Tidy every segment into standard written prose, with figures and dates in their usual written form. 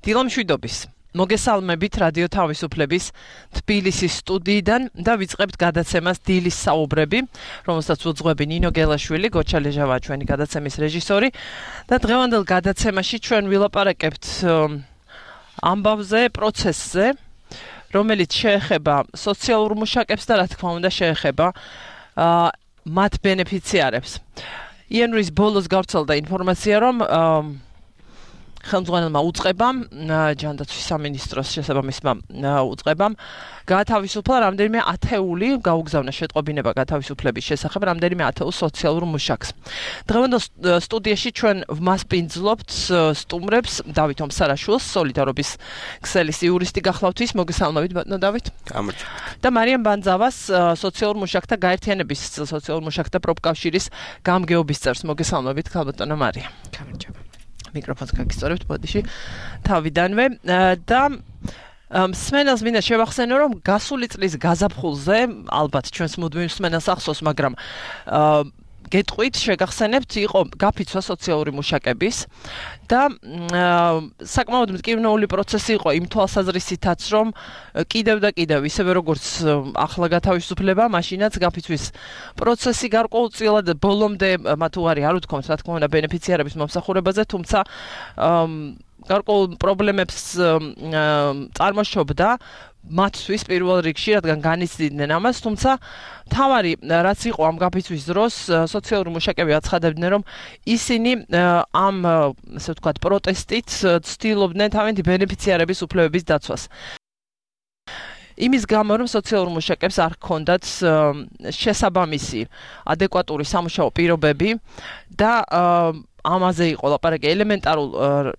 დილამშვიდობის. მოგესალმებით რადიო თავისუფლების თბილისის სტუდიიდან და ვიწყებთ გადაცემას დილის საუბრები, რომელსაც უძღვები ნინო გელაშვილი, გოჩა ლეჟავა ჩვენი გადაცემის რეჟისორი და დღევანდელ გადაცემაში ჩვენ ვილაპარაკებთ ამბავზე, პროცესზე, რომელიც შეეხება სოციალურ მუშაკებს და რა თქმა უნდა შეეხება მათ ბენეფიციარებს. იანვრის ბოლოს გავრცელდა ინფორმაცია, რომ ხელმძღვანელმა უწყებამ, ჯანდაცვის სამინისტროს შესაბამისმა უწყებამ გაათავისუფლა რამდენიმე ათეული, გაუგზავნა შეტყობინება გათავისუფლების შესახებ რამდენიმე ათეულ სოციალურ მუშაკს. დღევანდელ სტუდიაში ჩვენ ვმასპინძლობთ სტუმრებს დავით ომსარაშვილს, სოლიდარობის ქსელის იურისტი გახლავთ, მოგესალმებით ბატონო დავით. გამარჯობთ. და მარიამ ბანძავას, სოციალურ მუშაკთა გაერთიანების სოციალურ მუშაკთა პროფკავშირის გამგეობის წევრს. მოგესალმებით ქალბატონო მარიამ. გამარჯობა. მიკროფონს გაგისწორებთ ბოდიში თავიდანვე და მსმენელს მინდა შევახსენო, რომ გასული წლის გაზაფხულზე ალბათ ჩვენს მუდმივ მსმენელს ახსოვს, მაგრამ გეტყვით, შეგახსენებთ, იყო გაფიცვა სოციალური მუშაკების და საკმაოდ მტკივნეული პროცესი იყო იმ თვალსაზრისითაც, რომ კიდევ და კიდევ ისევე როგორც ახლა გათავისუფლება, მაშინაც გაფიცვის პროცესი გარკვეულწილად ბოლომდე მათ უარი არ უთქვამთ, რა თქმა უნდა, ბენეფიციარების მომსახურებაზე, თუმცა გარკვეულ პრობლემებს წარმოშობდა მათთვის პირველ რიგში, რადგან განიცდიდნენ ამას, თუმცა თავარი რაც იყო ამ გაფიცვის დროს, სოციალური მუშაკები აცხადებდნენ, რომ ისინი ამ, ასე ვთქვათ, პროტესტით ცდილობდნენ თავიანთი ბენეფიციარების უფლებების დაცვას. იმის გამო, რომ სოციალურ მუშაკებს არ ჰქონდათ შესაბამისი ადეკვატური სამუშაო პირობები და ამაზე იყო ლაპარაკი ელემენტარულ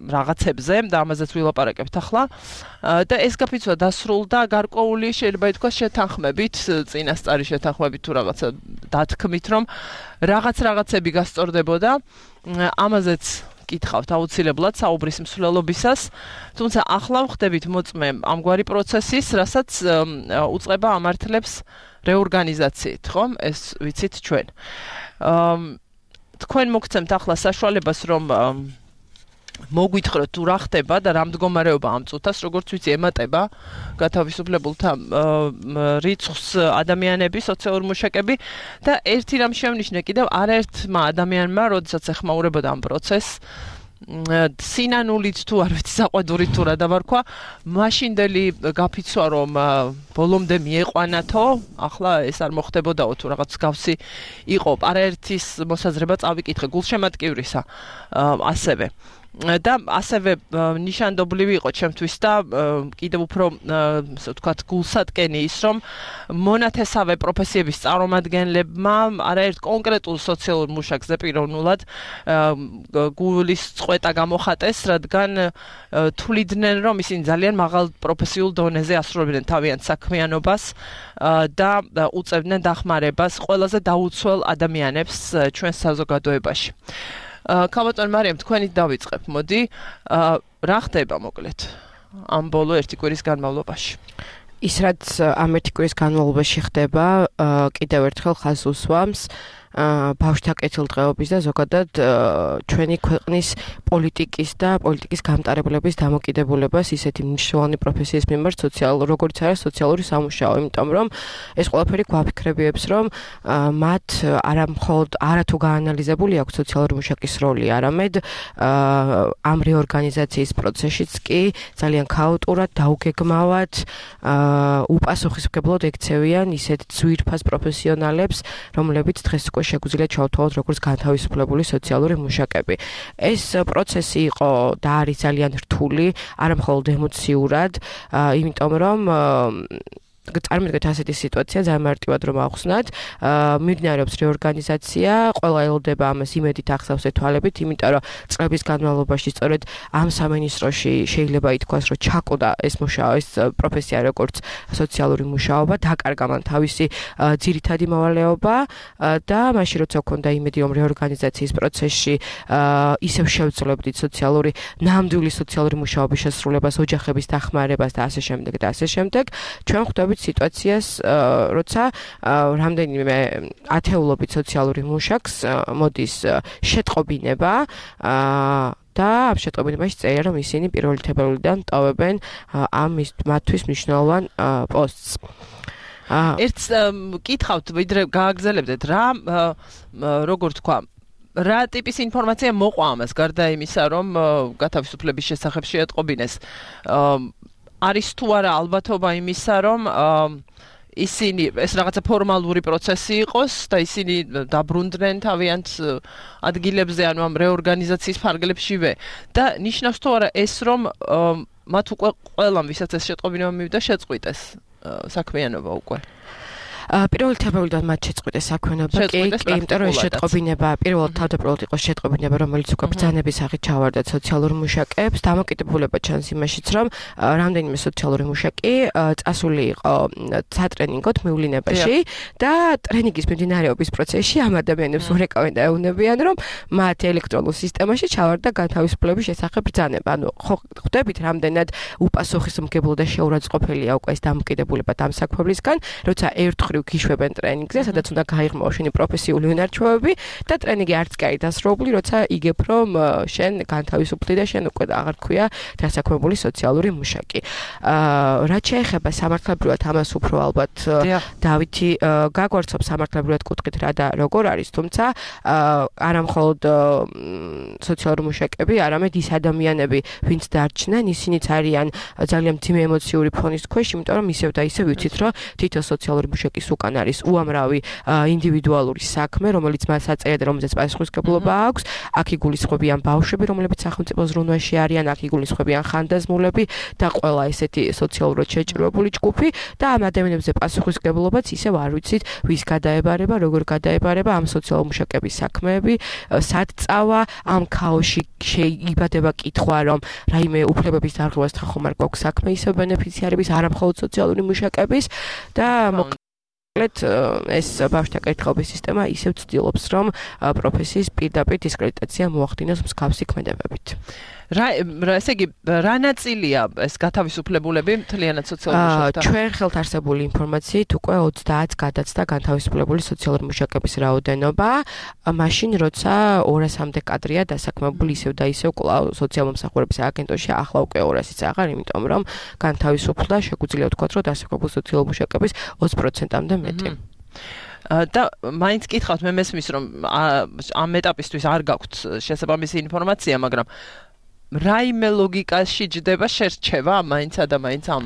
რაღაცებზე და ამაზეც ვილაპარაკებთ ახლა და ეს გაფიცვა დასრულდა გარკვეული შეიძლება ითქვას შეთანხმებით, წინასწარი შეთანხმებით თუ რაღაცა დათქმით, რომ რაღაცები გასწორდებოდა, ამაზეც კითხავთ აუცილებლად საუბრის მსვლელობისას, თუმცა ახლა ვხდებით მოწმე ამგვარი პროცესის, რასაც უწყება ამართლებს რეორგანიზაციით, ხომ? ეს ვიცით ჩვენ. თქვენ მოგცემთ ახლა საშუალებას, რომ მოგვითხროთ თუ რა ხდება და რა მდგომარეობა ამ წუთას, როგორც ვიცი, ემატება გათავისუფლებულთა რიცხვს ადამიანები, სოციალური მუშაკები და ერთი რამ შევნიშნე კიდევ არაერთმა ადამიანმა, როდესაც ეხმაურებოდა ამ პროცესს, სინანულით თუ არ ვიცი, საყვედურით თუ რა დავარქვა, მაშინდელი გაფიცვა, რომ ბოლომდე მieყვანათო, ახლა ეს არ მოხდებოდაო თუ რაღაც გავსი იყო, არაერთის მოსაზრება წავიკითხე, გულშემატკივრისა ასევე. და ასევე ნიშანდობლივი იყო ჩემთვის და კიდევ უფრო, ასე ვთქვათ, გულსატკენი ის, რომ მონათესავე პროფესიების წარმომადგენლებმა არაერთ კონკრეტულ სოციალურ მუშაკზე პიროვნულად გულის წყვეტა გამოხატეს, რადგან თვლიდნენ, რომ ისინი ძალიან მაღალ პროფესიულ დონეზე ასრულებდნენ თავიანთ საქმიანობას და უწევდნენ დახმარებას ყველაზე დაუცველ ადამიანებს ჩვენს საზოგადოებაში. ქალბატონო მარიამ, თქვენით დავიწყებ. მოდი, რა ხდება მოკლედ ამ ბოლო ერთი კვირის განმავლობაში? ის რაც ამ ერთი კვირის განმავლობაში ხდება, კიდევ ერთხელ ხაზს უსვამს ბავშვთა კეთილდღეობის და ზოგადად ჩვენი ქვეყნის პოლიტიკის და პოლიტიკის გამტარებლების დამოკიდებულებას ისეთი მნიშვნელოვანი პროფესიის მიმართ, როგორც არის სოციალური სამუშაო, იმიტომ რომ ეს ყველაფერი გვაფიქრებიებს, რომ მათ არათუ გაანალიზებული აქვს სოციალური მუშაკის როლი, არამედ ამ რეორგანიზაციის პროცესშიც კი ძალიან ქაოტურად, დაუგეგმავად, უპასუხისმგებლოდ ექცევიან ისეთ ძვირფას პროფესიონალებს, რომლებიც დღეს უკვე შეგვიძლია ჩავთვალოთ როგორც განთავისუფლებული სოციალური მუშაკები. ეს პროცესი იყო და არის ძალიან რთული, არა მხოლოდ ემოციურად, იმიტომ რომ წარმოგიდგენთ ასეთი სიტუაცია, ძალიან მარტივად რომ ავხსნათ, მიმდინარეობს რეორგანიზაცია, ყველა ელოდება ამას იმედით ახსავს ეთვალებით, იმიტომ რომ წლების განმავლობაში სწორედ ამ სამინისტროში შეიძლება ითქვას, რომ ჩაკოდა ეს პროფესია როგორც სოციალური მუშაობა, დაკარგა მან თავისი ძირითადი მოვალეობა და მაშინ როცა ჰქონდა იმედი, რომ რეორგანიზაციის პროცესში ისევ შევძლებდით ნამდვილი სოციალური მუშაობის შესრულებას, ოჯახების დახმარებას და ასე შემდეგ, ჩვენ ხვდებით ვხედავით სიტუაციას, როცა რამდენიმე ათეულობით სოციალური მუშაკს მოდის შეტყობინება და ამ შეტყობინებაში წერია, რომ ისინი პირველი თებერვლიდან ტოვებენ ამ მათთვის მნიშვნელოვან პოსტს. ერთს კითხავთ, ვიდრე გააგრძელებდეთ რა, როგორ თქვა, რა ტიპის ინფორმაცია მოყვა ამას, გარდა იმისა, რომ გათავისუფლების შესახებ შეეტყობინეს. არის თუ არა ალბათობა იმისა, რომ ისინი ეს რაღაცა ფორმალური პროცესი იყოს და ისინი დაბრუნდნენ თავიანთ ადგილებზე, ანუ ამ რეორგანიზაციის ფარგლებშივე და ნიშნავს თუ არა ეს, რომ მათ უკვე ყველამ, ვისაც ეს შეტყობინება მივიდა, შეწყვიტეს საქმიანობა უკვე. პირველი თებერვლიდან მათ შეწყვიტეს საქმიანობა, კი, იმიტომ რომ ეს შეტყობინება პირველად თავდაპირველად იყო შეტყობინება, რომელიც უკვე ბრძანების სახით ჩავარდა სოციალურ მუშაკებს. დამოკიდებულება ჩანს იმაშიც, რომ რამდენიმე სოციალური მუშაკი წასული იყო სატრენინგოდ მივლინებაში და ტრენინგის მიმდინარეობის პროცესში ამ ადამიანებს ურეკავენ და ეუბნებიან, რომ მათ ელექტრონულ სისტემაში ჩავარდა განთავისუფლების შესახებ ბრძანება. ანუ ხვდებით, რამდენად უპასუხისმგებლო და შეურაცხყოფელია უკვე ეს დამოკიდებულება დამსაქმებლისგან, როცა ერთხელ გიშვებენ ტრენინგზე, სადაც უნდა გაიღმო შენი პროფესიული უნარჩვევები და ტრენინგი არც კი არის დასრულებული, როცა იგებ, რომ შენ განთავისუფლდი და შენ უკვე აღარ ქვია დასაქმებული სოციალური მუშაკი. რაც შეეხება სამართლებრივად ამას უფრო ალბათ დავითი გაგვარცობს სამართლებრივად კუთხით რა და როგორ არის, თუმცა არა მხოლოდ სოციალური მუშაკები, არამედ ის ადამიანები, ვინც დარჩნენ, ისინიც არიან ძალიან მძიმე ემოციური ფონის ქვეშ, იმიტომ რომ ისევ და ისევ ვიცით, რომ თითო სოციალური მუშაკის უკან არის უამრავი ინდივიდუალური საქმე, რომელიც მას აწერია და რომელზეც პასუხისმგებლობა აქვს. აქ იგულისხმებიან ბავშვები, რომლებიც სახელმწიფო ზრუნვაში არიან, აქ იგულისხმებიან ხანდაზმულები და ყველა ესეთი სოციალურად შეჭრილებული ჯგუფი და ამ ადამიანებზე პასუხისმგებლობაც ისევ არ ვიცით, ვის გადაებარება, როგორ გადაებარება ამ სოციალურ მუშაკების საქმეები, სად წავა, ამ ქაოსში შეიბადება კითხვა, რომ რაიმე უფლებების დარღვევასთან ხომ არ გვაქვს საქმე ისევ ბენეფიციარების, არა მხოლოდ სოციალური მუშაკების და ეს ბავშვთა კეთილობის სისტემა ისევ ცდილობს, რომ პროფესიის პირდაპირ დისკრედიტაცია მოახდინოს მსგავსი ქმედებებით. ესე იგი, რა ნაწილია ეს გათავისუფლებულები მთლიანად სოციალურ მუშაკთა? ჩვენ ხელთ არსებული ინფორმაციით უკვე 30-ს გადაცდა განთავისუფლებული სოციალური მუშაკების რაოდენობა, მაშინ როცა 200-მდე კადრია დასაქმებული ისევ და ისევ კვლავ სოციალურ მომსახურების აგენტოში, ახლა უკვე 200-იც აღარ, იმიტომ რომ განთავისუფლდა, შეგვიძლია ვთქვათ, რომ დასაქმებული სოციალური მუშაკების 20%-მდე მეტი. და მაინც კითხავთ, მე მესმის, რომ ამ ეტაპისთვის არ გაქვთ შესაბამისი ინფორმაცია, მაგრამ რაიმე ლოგიკაში ჯდება შერჩევა მაინც და მაინც ამ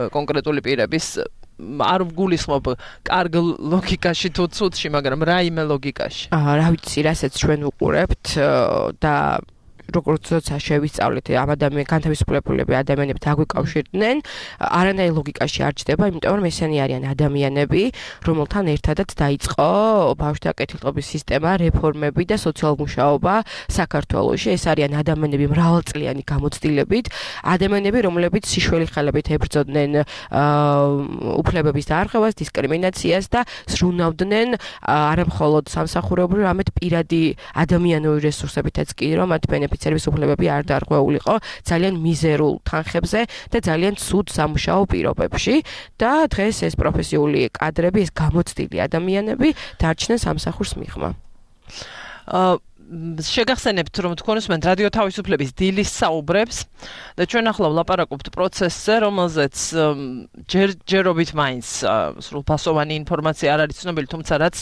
კონკრეტული პირების არ ვგულისხმობ კარგ ლოგიკაში თუ ცუდში, მაგრამ რაიმე ლოგიკაში. რა ვიცი, რასაც ჩვენ ვუყურებთ და როგორც როცა შევისწავლეთ ამ განთავისუფლებულები ადამიანები დაგვიკავშირდნენ, არანაირ ლოგიკაში არ ჯდება, იმიტომ რომ ესენი არიან ადამიანები, რომელთან ერთადაც დაიწყო ბავშვთა კეთილდღეობის სისტემა, რეფორმები და სოციალურ მუშაობა საქართველოში. ეს არიან ადამიანები მრავალწლიანი გამოცდილებით, ადამიანები, რომლებიც სიშველი ხელებით ებრძოდნენ უფლებების დარღვევას, დისკრიმინაციას და ზრუნავდნენ არა მხოლოდ სამსახურეობრივ, არამედ პირადი ადამიანური რესურსებითაც კი, რომ მათ ბენეფიციარების უფლებები არ დარღვეულიყო ძალიან მიზერულ თანხებზე და ძალიან ცუდ სამუშაო პირობებში და დღეს ეს პროფესიული კადრები, ეს გამოცდილი ადამიანები დარჩნენ სამსახურს მიღმა. შეგახსენებთ, რომ თქვენ უსმენთ რადიო თავისუფლების დილის საუბრებს და ჩვენ ახლა ვლაპარაკობთ პროცესზე, რომელზეც ჯერობით მაინც სრულფასოვანი ინფორმაცია არ არის ცნობილი, თუმცა რაც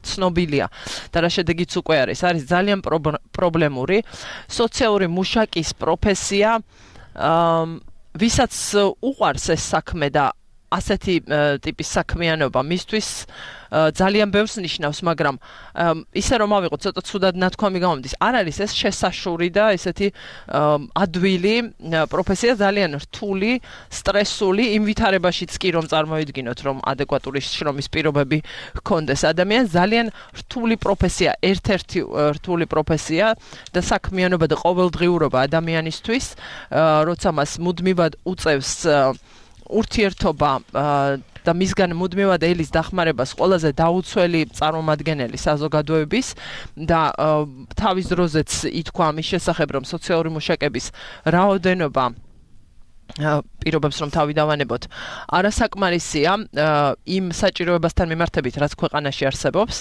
ცნობილია და რა შედეგიც უკვე არის ძალიან პრობლემური სოციალური მუშაკის პროფესია, ვისაც უყვარს ეს საქმე და ასეთი ტიპის საქმიანობა მისთვის ძალიან ბევრს ნიშნავს, მაგრამ ისე რომ ავიღოთ ცოტა ცუდად ნათქვამი გამომდის, არ არის ეს შესაშური და ესეთი ადვილი პროფესია, ძალიან რთული, სტრესული, იმ ვითარებაშიც კი რომ წარმოვიდგინოთ, რომ ადეკვატური შრომის პირობები ჰქონდეს ადამიანს, ძალიან რთული პროფესია, ერთ-ერთი რთული პროფესია და საქმიანობა და ყოველდღიურობა ადამიანისთვის, როცა მას მუდმივად უწევს ურთიერთობა და მისგან მუდმივად ელის დახმარებას ყველაზე დაუცველი წარმომადგენელი საზოგადოების და თავის დროზეც ითქვა ამის შესახებ, რომ სოციალური მუშაკების რაოდენობა პირობებს რომ თავი დავანებოთ არასაკმარისია იმ საჭიროებასთან მიმართებით რაც ქვეყანაში არსებობს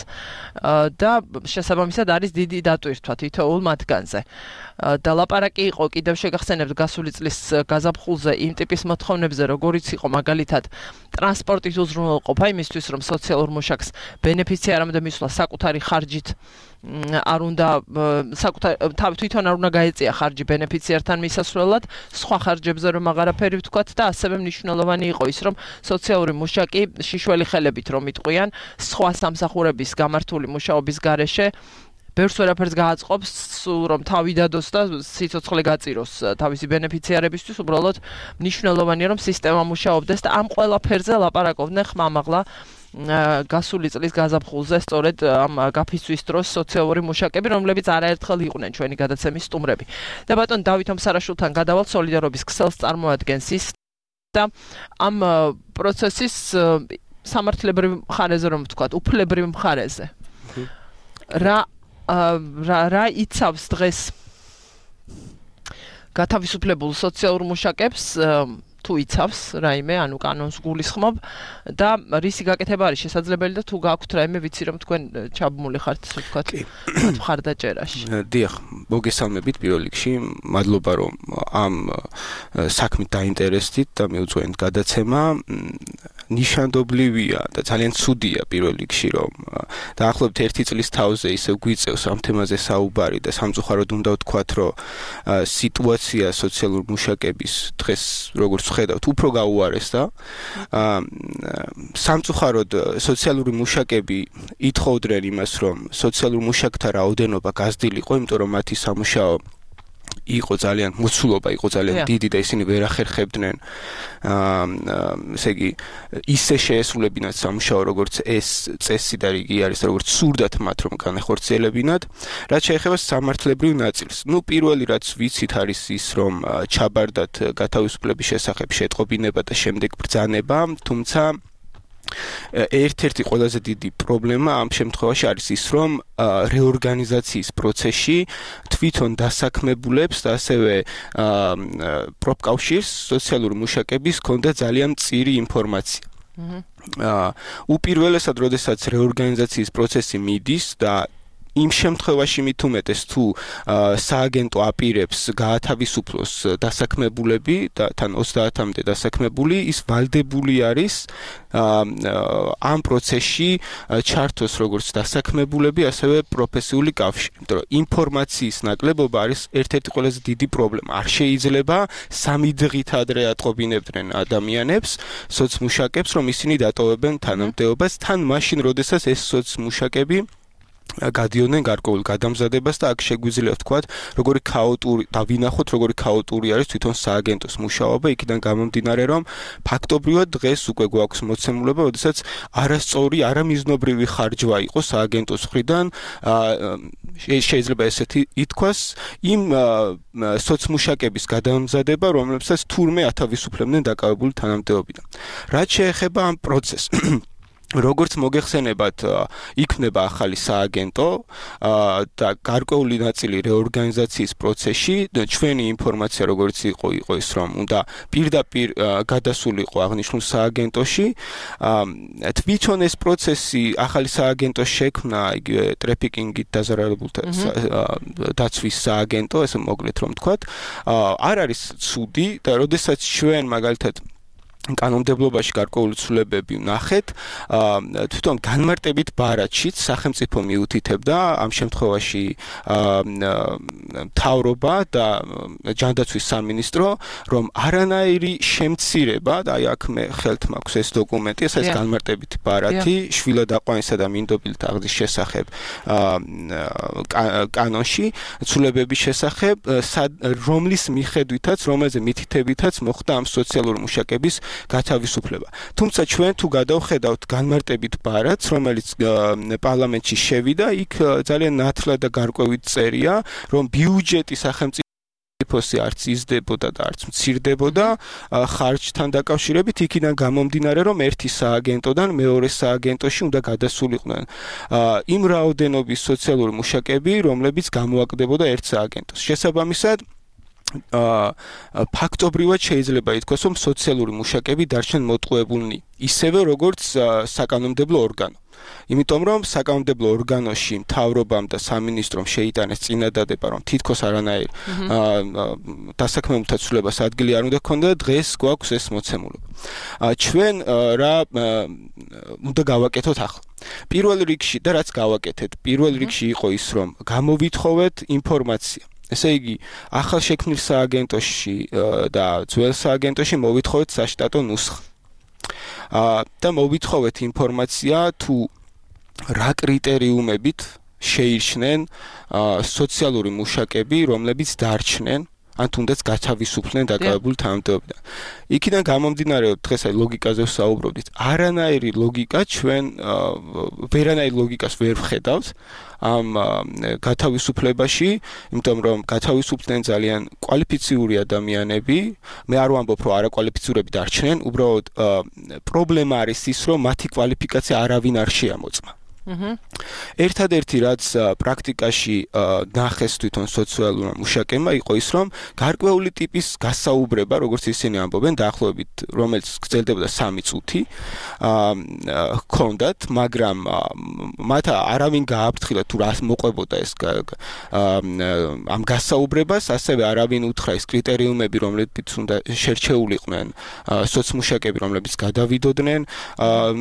და შესაბამისად არის დიდი დატვირთვა თითოეულ მათგანზე და ლაპარაკი იყო კიდევ შეგახსენებთ გასული წლის გაზაფხულზე იმ ტიპის მოთხოვნებზე როგორიც იყო მაგალითად ტრანსპორტის უზრუნველყოფა იმისთვის რომ სოციალურ მუშაკს ბენეფიცი არ უნდა მისვლა საკუთარი ხარჯით არ უნდა თვითონ არ უნდა გაეწია ხარჯი ბენეფიციართან მისასვლელად სხვა ხარჯებზე რომ აღარაფერი ვთქვათ და ასევე მნიშვნელოვანი იყო ის რომ სოციალური მუშაკი შიშველი ხელებით რომ იტყვიან სხვა სამსახურების გამართული მუშაობის გარეშე ბევრს ვერაფერს გააწყობს სულ რომ თავი დადოს და სიცოცხლე გაწიროს თავისი ბენეფიციარებისთვის უბრალოდ მნიშვნელოვანია რომ სისტემა მუშაობდეს და ამ ყველაფერზე ლაპარაკობდნენ ხმამაღლა გასული წლის გაზაფხულზე სწორედ ამ გაფიცვის დროს სოციალური მუშაკები რომლებიც არაერთხელ იყვნენ ჩვენი გადაცემის სტუმრები და ბატონ დავით ომსარაშვილთან გადავალთ სოლიდარობის ქსელს წარმოადგენს ის და ამ პროცესის სამართლებრივ მხარეზე რომ ვთქვათ უფლებრივ მხარეზე რა იცავს დღეს გათავისუფლებულ სოციალურ მუშაკებს თუ იცავს რაიმე ანუ კანონს გულისხმობ და რისი გაკეთება არის შესაძლებელი და თუ გაქვთ რაიმე ვიცი რომ თქვენ ჩაბმული ხართ ასე ვთქვათ მხარდაჭერაში დიახ მოგესალმებით პირველ რიგში მადლობა რომ ამ საქმით დაინტერესდით და მიუძღვენთ გადაცემა ნიშანდობლივია და ძალიან ცუდია პირველ რიგში რომ დაახლოებით 1 წლის თავზე ისე გვიწევს ამ თემაზე საუბარი და სამწუხაროდ უნდა ვთქვათ რომ სიტუაცია სოციალურ მუშაკების დღეს როგორც ხედავთ უფრო გაუარესდა სამწუხაროდ სოციალური მუშაკები ითხოვდნენ იმას რომ სოციალურ მუშაკთა რაოდენობა გაზრდილიყო იმიტომ რომ მათი სამუშაო იყო ძალიან მოცულობა იყო ძალიან დიდი და ისინი ვერ ახერხებდნენ ესე იგი ისე შეესრულებინათ სამუშაო როგორც ეს წესი და რიგი არის როგორც სურდათ მათ რომ განახორციელებინათ რაც შეეხება სამართლებრივ ნაწილს ნუ პირველი რაც ვიცით არის ის რომ ჩაბარდათ გათავისუფლების შესახებ შეტყობინება და შემდეგ ბრძანება თუმცა ერთ-ერთი ყველაზე დიდი პრობლემა ამ შემთხვევაში არის ის რომ რეორგანიზაციის პროცესში თვითონ დასაქმებულებს და ასევე პროფკავშირს სოციალური მუშაკების ჰქონდა ძალიან მწირი ინფორმაცია უპირველესად როდესაც რეორგანიზაციის პროცესი მიდის და იმ შემთხვევაში მით უმეტეს თუ სააგენტო აპირებს გაათავისუფლოს დასაქმებულები და თან 30-მდე დასაქმებული ის ვალდებული არის ამ პროცესში ჩართოს როგორც დასაქმებულები ასევე პროფესიული კავშირი იმიტომ რომ ინფორმაციის ნაკლებობა არის ერთ-ერთი ყველაზე დიდი პრობლემა არ შეიძლება 3 დღით ადრე ატყობინებდნენ ადამიანებს სოცმუშაკებს რომ ისინი დატოვებენ თანამდებობას თან მაშინ როდესაც ეს სოცმუშაკები გადიოდნენ გარკვეულ გადამზადებას და აქ შეგვიძლია ვთქვათ როგორი ქაოტური და ვინახოთ როგორი ქაოტური არის თვითონ სააგენტოს მუშაობა იქიდან გამომდინარე რომ ფაქტობრივად დღეს უკვე გვაქვს მოცემულობა როდესაც არასწორი არამიზნობრივი ხარჯვა იყო სააგენტოს მხრიდან შეიძლება ესეთი ითქვას იმ სოცმუშაკების გადამზადება რომლებსაც თურმე ათავისუფლებდნენ დაკავებული თანამდებობიდან რაც შეეხება ამ პროცესს როგორც მოგეხსენებათ იქნება ახალი სააგენტო და გარკვეული ნაწილი რეორგანიზაციის პროცესში ჩვენი ინფორმაცია როგორც იყო ის რომ უნდა პირდაპირ გადასულიყო აღნიშნულ სააგენტოში თვითონ ეს პროცესი ახალი სააგენტოს შექმნა იგივე ტრაფიკინგით დაზარალებულთა დაცვის სააგენტო ესე მოკლედ რომ ვთქვათ არ არის ცუდი და როდესაც ჩვენ მაგალითად კანონმდებლობაში გარკვეული ცვლილებები ვნახეთ თვითონ განმარტებით ბარათშიც სახელმწიფო მიუთითებდა ამ შემთხვევაში მთავრობა და ჯანდაცვის სამინისტრო რომ არანაირი შემცირება და აი აქ მე ხელთ მაქვს ეს დოკუმენტი ეს არის განმარტებით ბარათი შვილად აყვანისა და მინდობილთა აღზის შესახებ კანონში ცვლილებების შესახებ რომლის მიხედვითაც რომელზე მითითებითაც მოხდა ამ სოციალური მუშაკების გათავისუფლება. თუმცა ჩვენ თუ გადავხედავთ განმარტებით ბარათს, რომელიც პარლამენტში შევიდა, იქ ძალიან ნათლად და გარკვევით წერია, რომ ბიუჯეტი სახელმწიფოსი არც იზრდებოდა და არც მცირდებოდა ხარჯთან დაკავშირებით, იქიდან გამომდინარე, რომ ერთი სააგენტოდან მეორე სააგენტოში უნდა გადასულიყვნენ იმ რაოდენობის სოციალური მუშაკები, რომლებიც გამოაკდებოდა ერთ სააგენტოს. შესაბამისად ფაქტობრივად შეიძლება ითქვას, რომ სოციალური მუშაკები დარჩნენ მოტყუებულნი, ისევე როგორც საკანონმდებლო ორგანო. იმიტომ რომ საკანონმდებლო ორგანოში მთავრობამ და სამინისტრომ შეიტანეს წინადადება, რომ თითქოს არანაირ დასაქმებულთა ცვლილებას ადგილი არ უნდა ქონდა, დღეს გვაქვს ეს მოცემულობა. ჩვენ რა უნდა გავაკეთოთ ახლა? პირველ რიგში და რაც გავაკეთეთ, პირველ რიგში იყო ის, რომ გამოვითხოვეთ ინფორმაცია. ესე იგი, ახალ შექმნილ სააგენტოში და ძველ სააგენტოში მოვითხოვეთ საშტატო ნუსხა. და მოვითხოვეთ ინფორმაცია თუ რა კრიტერიუმებით შეირჩნენ სოციალური მუშაკები, რომლებიც დარჩნენ ან თუნდაც გათავისუფლდნენ დაკავებულ თანამდებობიდან. იქიდან გამომდინარეობს, დღეს აი ლოგიკაზე ვსაუბრობდით, არანაირი ლოგიკა ჩვენ ვერანაირ ლოგიკას ვერ ვხედავთ ამ გათავისუფლებაში, იმიტომ რომ გათავისუფლდნენ ძალიან კვალიფიციური ადამიანები, მე არ ვამბობ, რომ არაკვალიფიცურები დარჩნენ, უბრალოდ პრობლემა არის ის, რომ მათი კვალიფიკაცია არავინ არ შეამოწმა. ერთადერთი რაც პრაქტიკაში ნახეს თვითონ სოციალურმა მუშაკებმა იყო ის, რომ გარკვეული ტიპის გასაუბრება, როგორც ისინი ამბობენ, დაახლოებით რომელიც გრძელდებოდა 3 წუთი, ჰქონდათ, მაგრამ მათ არავინ გააფრთხილა თუ რა მოყვებოდა ეს ამ გასაუბრებას, ასევე არავინ უთხრა ეს კრიტერიუმები, რომლებიც უნდა შერჩეულიყვნენ სოციმუშაკები, რომლებიც გადავიდოდნენ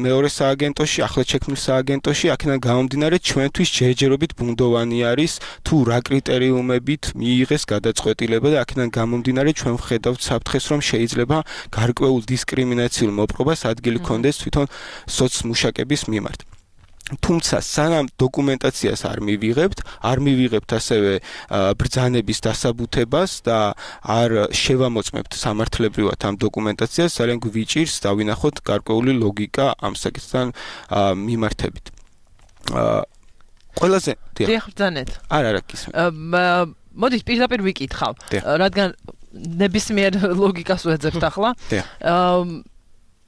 მეორე სააგენტოში, ახლად შექმნილ სააგენტოში, აქედან გამომდინარე ჩვენთვის ჯერჯერობით ბუნდოვანი არის თუ რა კრიტერიუმებით მიიღეს გადაწყვეტილება და აქედან გამომდინარე ჩვენ ვხედავთ საფრთხეს, რომ შეიძლება გარკვეულ დისკრიმინაციულ მოპყრობას ადგილი ჰქონდეს თვითონ სოციმუშაკების მიმართ. თუმცა სანამ დოკუმენტაციას არ მივიღებთ ასევე ბრძანების დასაბუთებას და არ შევამოწმებთ სამართლებრივად ამ დოკუმენტაციას, ძალიან გვიჭირს დავინახოთ გარკვეული ლოგიკა ამ საკითხთან მიმართებით. ყველაზე დიახ, ბრძანეთ. არა, კისმე. მოდით პირდაპირ ვიკითხავ, რადგან ნებისმიერ ლოგიკას ვეძებთ ახლა.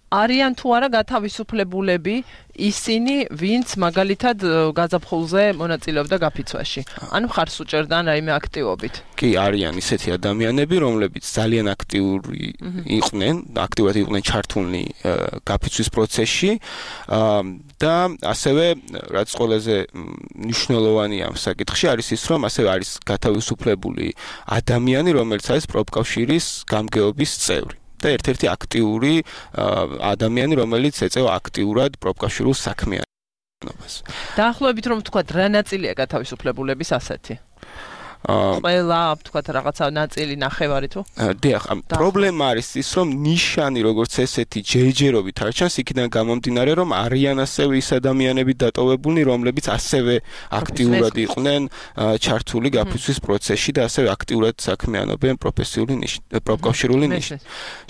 არიან თუ არა გათავისუფლებულები ისინი, ვინც მაგალითად გაზაფხულზე მონაწილეობდა გაფიცვაში. ანუ ხარს უჭერდა რაიმე აქტივობით. კი, არიან ისეთი ადამიანები, რომლებიც ძალიან აქტიურად იყვნენ ჩართულნი გაფიცვის პროცესში და ასევე რაც ყველაზე მნიშვნელოვანია ამ საკითხში არის ის, რომ ასევე არის გათავისუფლებული ადამიანი, რომელიც არის პროფკავშირის გამგეობის წევრი. და ერთ-ერთი აქტიური ადამიანი, რომელიც ეწევა აქტიურად პროფკავშირულ საქმიანობას. დაახლოებით რომ ვთქვათ, რა ნაწილია გათავისუფლებულების ასეთი? ყველა ვთქვათ რაღაცა ნაწილი ნახევარი თუ? დიახ, პრობლემა არის ის, რომ ნიშანი როგორც ესეთი ჯერჯერობით არ ჩანს, იქიდან გამომდინარე, რომ არიან ასევე ის ადამიანები დატოვებულნი, რომლებიც ასევე აქტიურად იყვნენ ჩართული გაფიცვის პროცესში და ასევე აქტიურად საქმიანობენ პროფკავშირული ნიშნით.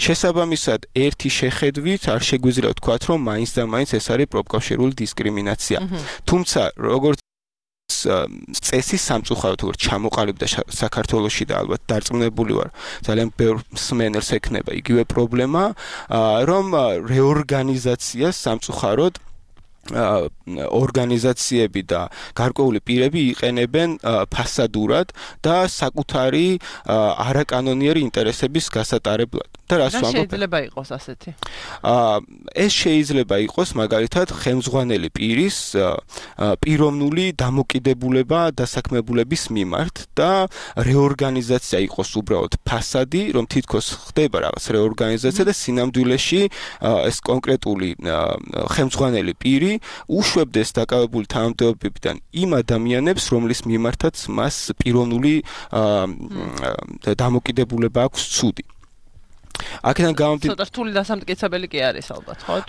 შესაბამისად, ერთი შეხედვით არ შეგვიძლია ვთქვათ, რომ მაინც და მაინც ეს არის პროფკავშირული დისკრიმინაცია. თუმცა, როგორც წესი სამწუხაროდ როგორ ჩამოყალიბდა საქართველოში და ალბათ დარწმუნებული ვარ ძალიან ბევრ მსმენელს ექნება იგივე პრობლემა რომ რეორგანიზაცია სამწუხაროდ ორგანიზაციები და გარკვეული პირები იყენებენ ფასადურად და საკუთარი არაკანონიერი ინტერესების გასატარებლად. და რას ვამბობ? შეიძლება იყოს ასეთი? ეს შეიძლება იყოს მაგალითად ხელმძღვანელი პირის პიროვნული დამოკიდებულება დასაქმებულების მიმართ და რეორგანიზაცია იყოს უბრალოდ ფასადი, რომ თითქოს ხდება რაღაც რეორგანიზაცია და სინამდვილეში ეს კონკრეტული ხელმძღვანელი პირი უშვებდეს დაკავებული თანამდებობებიდან იმ ადამიანებს, რომლის მიმართაც მას პიროვნული დამოკიდებულება აქვს ცუდი. აქედან გამომდინარე ცოტა რთული დასამტკიცებელი კი არის ალბათ, ხო?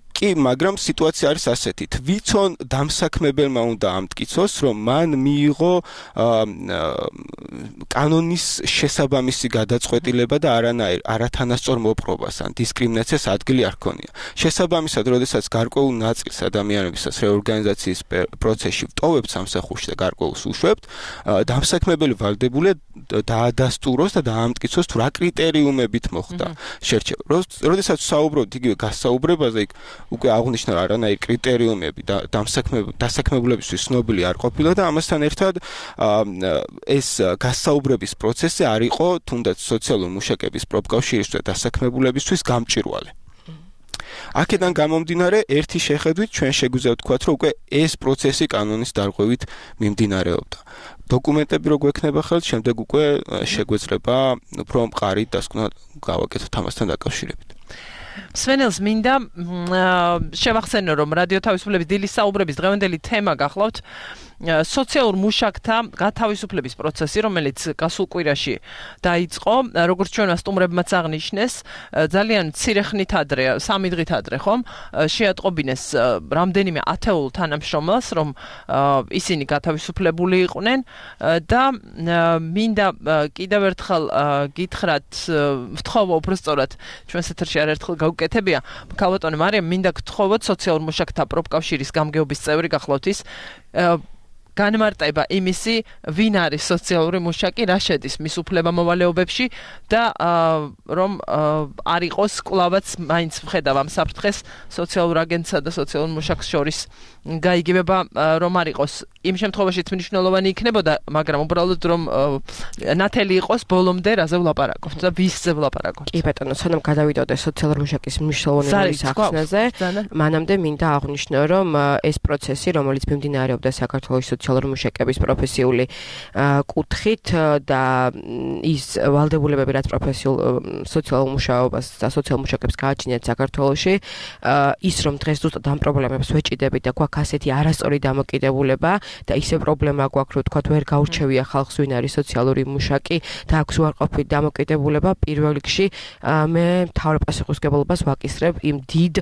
კი, მაგრამ სიტუაცია არის ასეთი. თვითონ დამსაქმებელმა უნდა ამტკიცოს, რომ მან მიიღო კანონის შესაბამისი გადაწყვეტილება და არათანასწორ მოპყრობას ან დისკრიმინაციას ადგილი არ ჰქონია. შესაბამისად, როდესაც გარკვეულ ნაწილს ადამიანებისას რეორგანიზაციის პროცესში ვტოვებთ სამსახურში და გარკვეულს უშვებთ, დამსაქმებელი ვალდებულია დაადასტუროს და დაამტკიცოს თუ რა კრიტერიუმებით მოხდა მოხდა შერჩევა. როდესაც საუბრობთ იგივე გასაუბრებაზე, იქ უკვე აღნიშნა არანაირი კრიტერიუმები და დასაქმებულებისთვის ცნობილი არ ყოფილა და ამასთან ერთად ეს გასაუბრების პროცესი არ იყო თუნდაც სოციალური მუშაკების პროფკავშირის და დასაქმებულებისთვის გამჭვირვალე. აქედან გამომდინარე, ერთი შეხედვით ჩვენ შეგვიძლია ვთქვათ, რომ უკვე ეს პროცესი კანონის დარღვევით მიმდინარეობდა. დოკუმენტები რო გვექნება ხელთ, შემდეგ უკვე შეგვეძლება უფრო მყარი დასკვნა გავაკეთოთ ამასთან დაკავშირებით. სვენელს მინდა შევახსენო, რომ რადიო თავისუფლების დილის საუბრების დღევანდელი თემა გახლავთ სოციალურ მუშაკთა გათავისუფლების პროცესი, რომელიც გასულ კვირაში დაიწყო, როგორც ჩვენ სტუმრებმაც აღნიშნეს, ძალიან მცირე ხნით ადრე, 3 დღით ადრე, ხომ, შეატყობინეს რამდენიმე ათეულ თანამშრომელს, რომ ისინი გათავისუფლებული იყვნენ და მინდა კიდევ ერთხელ გითხრათ, ვთხოვო უბრალოდ ჩვენს ეთერში არაერთხელ გავუკეთებია, ქალბატონი მარიამ, მინდა გთხოვოთ სოციალურ მუშაკთა პროფკავშირის გამგეობის წევრი გახლავთ ის განმარტება იმისი, ვინ არის სოციალური მუშაკი, რა შედის მის უფლებამოვალეობებში და რომ არ იყოს კლავაც მაინც ვხედავ ამ საფრთხეს სოციალურ აგენტსა და სოციალურ მუშაკს შორის გაიგებება, რომ არ იყოს იმ შემთხვევაშიც მნიშვნელოვანი იქნებოდა, მაგრამ უბრალოდ რომ ნათელი იყოს ბოლომდე რაზე ვლაპარაკობთ და ვისზე ვლაპარაკობთ. კი ბატონო, სანამ გადავიდოდე სოციალურ მუშაკის მნიშვნელოვანი სახსნაზე, მანამდე მინდა აღვნიშნო, რომ ეს პროცესი, რომელიც მიმდინარეობდა საქართველოს სოციალურ მუშაკების პროფესიული კუთხით და ის ვალდებულებები, რაც პროფესიულ სოციალურ მუშაობას და სოციალურ მუშაკებს გააჩნიათ საქართველოში, ის რომ დღეს ზუსტად ამ პრობლემებს ვეჭიდებით და გვაქვს ასეთი არასწორი დამოკიდებულება და ისე პრობლემა გვაქვს, რომ თქვათ ვერ გაურჩევია ხალხს ვინ არის სოციალური მუშაკი და აქვს უარყოფით დამოკიდებულება, პირველ რიგში მე მთავარ პასუხისმგებლობას ვაკისრებ იმ დიდ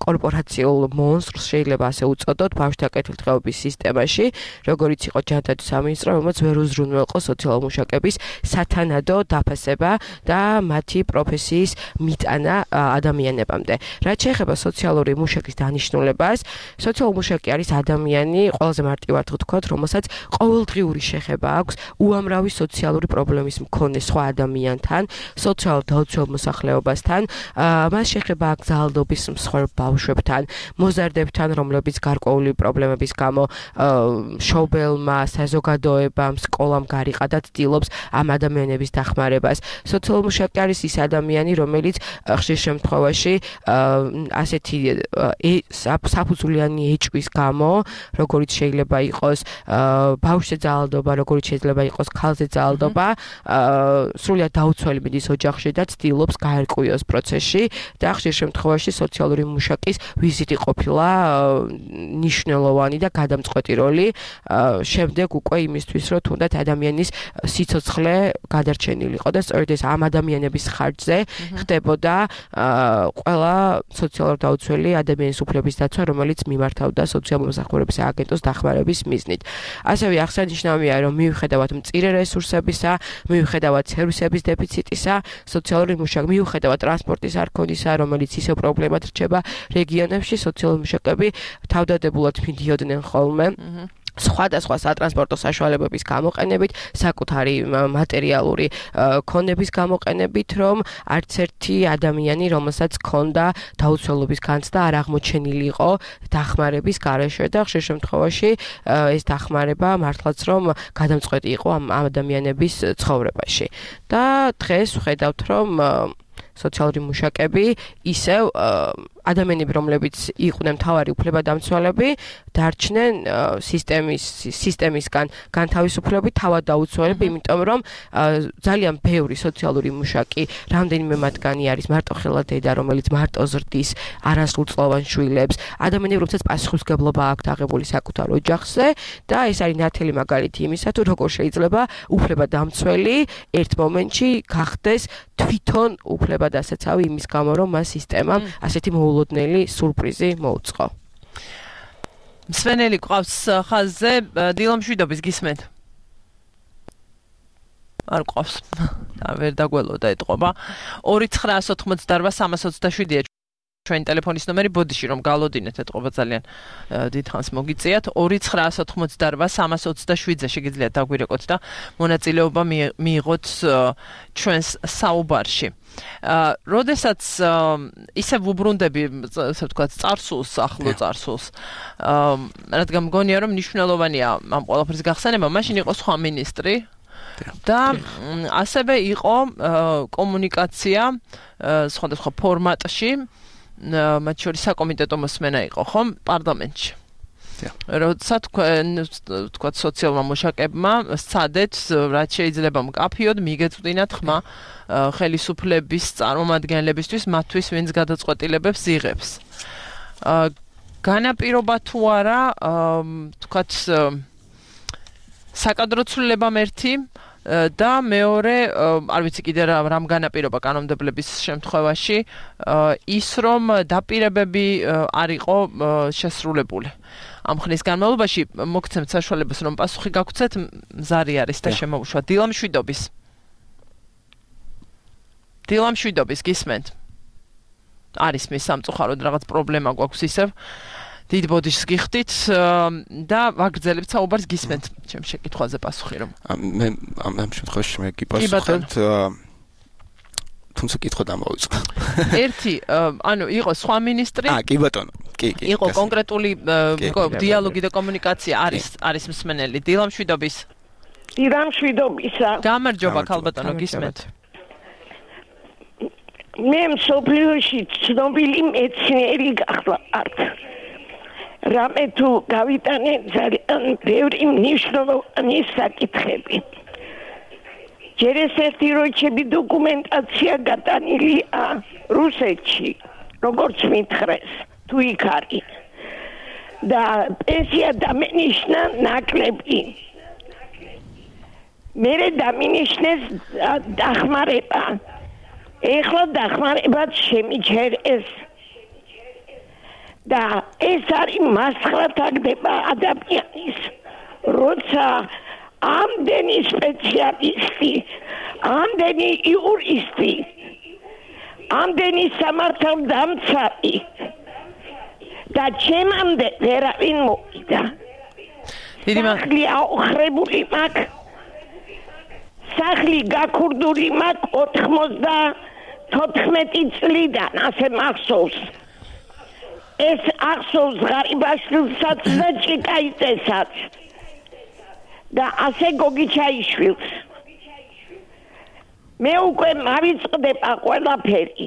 კორპორაციულ მონსტრს, შეიძლება ასე უწოდოთ, ბავშვთა კეთილდღეობის სისტემაში, როგორც იყო ჯანდაცვის სამინისტრო, რომელიც ვერ უზრუნველყო სოციალურ მუშაკების სათანადო დაფასება და მათი პროფესიის მიტანა ადამიანებამდე. რაც შეეხება სოციალური მუშაკის დანიშნულებას, სოციალური მუშაკი არის ადამიანი, ყველაზე მარტივად ვთქვათ, რომელსაც ყოველდღიური შეხება აქვს უამრავი სოციალური პრობლემის მქონე სხვა ადამიანთან, სოციალურ დაუცველ მოსახლეობასთან, მას შეხება აქვს ძალადობის მსხვერპ ბავშვებთან, მოზარდებთან, რომლებიც გარკვეული პრობლემების გამო მშობელმა, საზოგადოებამ, სკოლამ გარიყა და ცდილობს ამ ადამიანების დახმარებას. სოციალური მუშაკი არის ის ადამიანი, რომელიც ხშირ შემთხვევაში ასეთი საფუძვლიანი ეჭვის გამო, როგორც შეიძლება იყოს ბავშვზე ძალადობა, როგორც შეიძლება იყოს ქალზე ძალადობა, სრულად დაუცველი მიდის ოჯახში და ცდილობს გაერკვიოს პროცესში და ხშირ შემთხვევაში სოციალური მუშაკის ვიზიტი ყოფილა მნიშვნელოვანი და გადამწყვეტი როლი შემდეგ უკვე იმისთვის, რომ თუნდაც ადამიანის სიცოცხლე გადარჩენილიყო და სწორედ ეს ამ ადამიანების ხარჯზე ხდებოდა ყველა სოციალურ დაუცველი ადამიანის უფლების დაცვა, რომელიც მიმართავდა სოციალურ მომსახურების აგენტოს დახმარების მიზნით. ასევე აღსანიშნავია, რომ მიუხედავად მწირე რესურსებისა, მიუხედავად სერვისების დეფიციტისა, სოციალური მუშაკი მიუხედავად ტრანსპორტის არქონისა, რომელიც ისევ პრობლემად რჩება რეგიონებში, სოციალური მუშაკები თავდადებულად მიდიოდნენ ხოლმე სხვადასხვა სატრანსპორტო საშუალებების გამოყენებით, საკუთარი მატერიალური ქონების გამოყენებით, რომ არც ერთი ადამიანი, რომელსაც ჰქონდა დაუცველობის განცდა, არ აღმოჩენილიყო დახმარების გარეშე და ხშირ შემთხვევაში ეს დახმარება მართლაც რომ გადამწყვეტი იყო ამ ადამიანების ცხოვრებაში. და დღეს ვხედავთ, რომ სოციალური მუშაკები ისევ ადამიანები, რომლებიც იყვნენ მთავარი უფლებადამცველები, დარჩნენ სისტემისგან განთავისუფლებით, თავად დაუცველები, იმიტომ რომ ძალიან ბევრი სოციალური მუშაკი, რამდენიმე მათგანი არის მარტოხელა დედა, რომელიც მარტო ზრდის არასრულწლოვან შვილებს, ადამიანები, რომელსაც პასუხისმგებლობა აქვთ აღებული საკუთარ ოჯახზე და ეს არის ნათელი მაგალითი იმისა, თუ როგორ შეიძლება უფლებადამცველი ერთ მომენტში გახდეს თვითონ უფლებადასაცავი იმის გამო, რომ მას სისტემამ ასეთი მოულოდნელი სურპრიზი მოუწყო. სვენელი ყავს ხაზზე, დილამშვიდობის გისმენთ. არ ყავს. და ვერ დაგველოდა ეთყობა. 2988 327 ჩვენი ტელეფონის ნომერი ბოდიში რომ გალოდინეთ ეთყობა ძალიან დიდხანს მოგიწიათ 2988327-ზე შეგიძლიათ დაგვირეკოთ და მონაწილეობა მიიღოთ ჩვენს საუბარში. როდესაც ისე ვუბრუნდები, ასე ვთქვათ, წარსულს, ახლო წარსულს, რადგან მგონია რომ მნიშვნელოვანია ამ ყველაფრის გახსენება, მაშინ იყო სხვა მინისტრი და ასევე იყო კომუნიკაცია სხვადასხვა ფორმატში, მათ შორის საკომიტეტო მოსმენა იყო, ხომ, პარლამენტში. როცა თქვათ სოციალურმა მუშაკებმა სცადეთ, რაც შეიძლება მკაფიოდ მიგეწვდინათ ხმა ხელისუფლების წარმომადგენლებისთვის, მათთვის ვინც გადაწყვეტილებებს იღებს. განაპირობა თუ არა, თქვათ საკადრო ცვლილებამ ერთი და მეორე, არ ვიცი კიდე რამ განაპირობა კანონმდებლების შემთხვევაში, ის რომ დაპირებები არ იყო შესრულებული. ამ ხნის განმავლობაში მოგცემთ საშუალებას რომ პასუხი გაგვცეთ, მზარი არის და შემოუშვა დილამშვიდობის გისმენთ. არის მის სამწუხაროდ რაღაც პრობლემა გვაქვს ისევ. დიდ ბოდიშს გიხდით და ვაგრძელებთ საუბარს გისმენთ ჩემ შეკითხვაზე პასუხი რომ. მე ამ შემთხვევაში მე გიპასუხებთ თუმცა კითხვა დამოვიწყო. ერთი, ანუ იყო სხვა მინისტრი? კი ბატონო. კი. იყო კონკრეტული დიალოგი და კომუნიკაცია არის მსმენელი დილამშვიდობისა. გამარჯობა ქალბატონო გისმენთ. მე მსოფლიოში ცნობილი მეცნიერი გახლავართ. რამე თუ გავიტანე ძალიან ბევრი მნიშვნელოვანი საკითხები. ჯერ ესეთი როჩები დოკუმენტაცია გატანილია რუსეთში, როგორც მითხრეს, თუ იქ არის. და პენსია დამენიშნა ნაკლები. მერე დამინიშნეს დახმარება. ეხლა დახმარებაც შემიჩერეს. და ეს არის მასხლა თაგდება ადამიანის, როცა ამდენი სპეციალისტი, ამდენი იურისტი, ამდენი სამართალდამცავი და ჩემამდე ვერავინ მოვიდა. სახლი აოხრებული მაქვს, სახლი გაქურდული მაქვს 94 წლიდან, ასე მახსოვს. ეს ახსოვს ღარიბაშვილსაც და ჭიკაიძესაც და ასე გოგიჩაიშვილს. მე უკვე მავიწყდება ყველაფერი,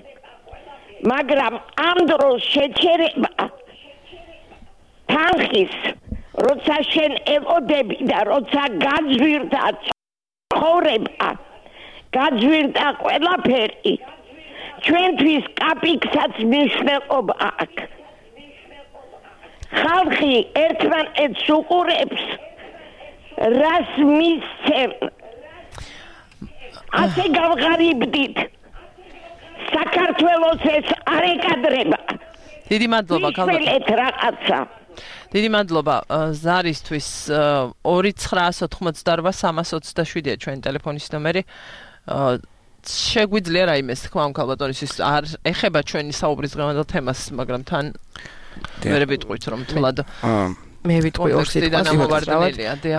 მაგრამ ამ დროს შეჩერება თანხის, როცა შენ ელოდები და როცა გაძვირდა ცხოვრება, გაძვირდა ყველაფერი, ჩვენთვის კაპიკსაც მნიშვნელობა აქვს. ხალხი ერთმანეთს უყურებს, რას მისცემ. ასე გავღარიბდით. საქართველოს ეს არ ეკადრება. დიდი მადლობა ქალბატონო. რაღაცა. დიდი მადლობა ზარისთვის 2988327-ია ჩვენი ტელეფონის ნომერი. შეგვიძლია რაიმეს თქვა ამ ქალბატონისთვის არ ეხება ჩვენი საუბრის დღევანდელ თემას, მაგრამ თან ვერ ვიტყვით რომ თლად მე ვიტყვი ორ სიტყვას.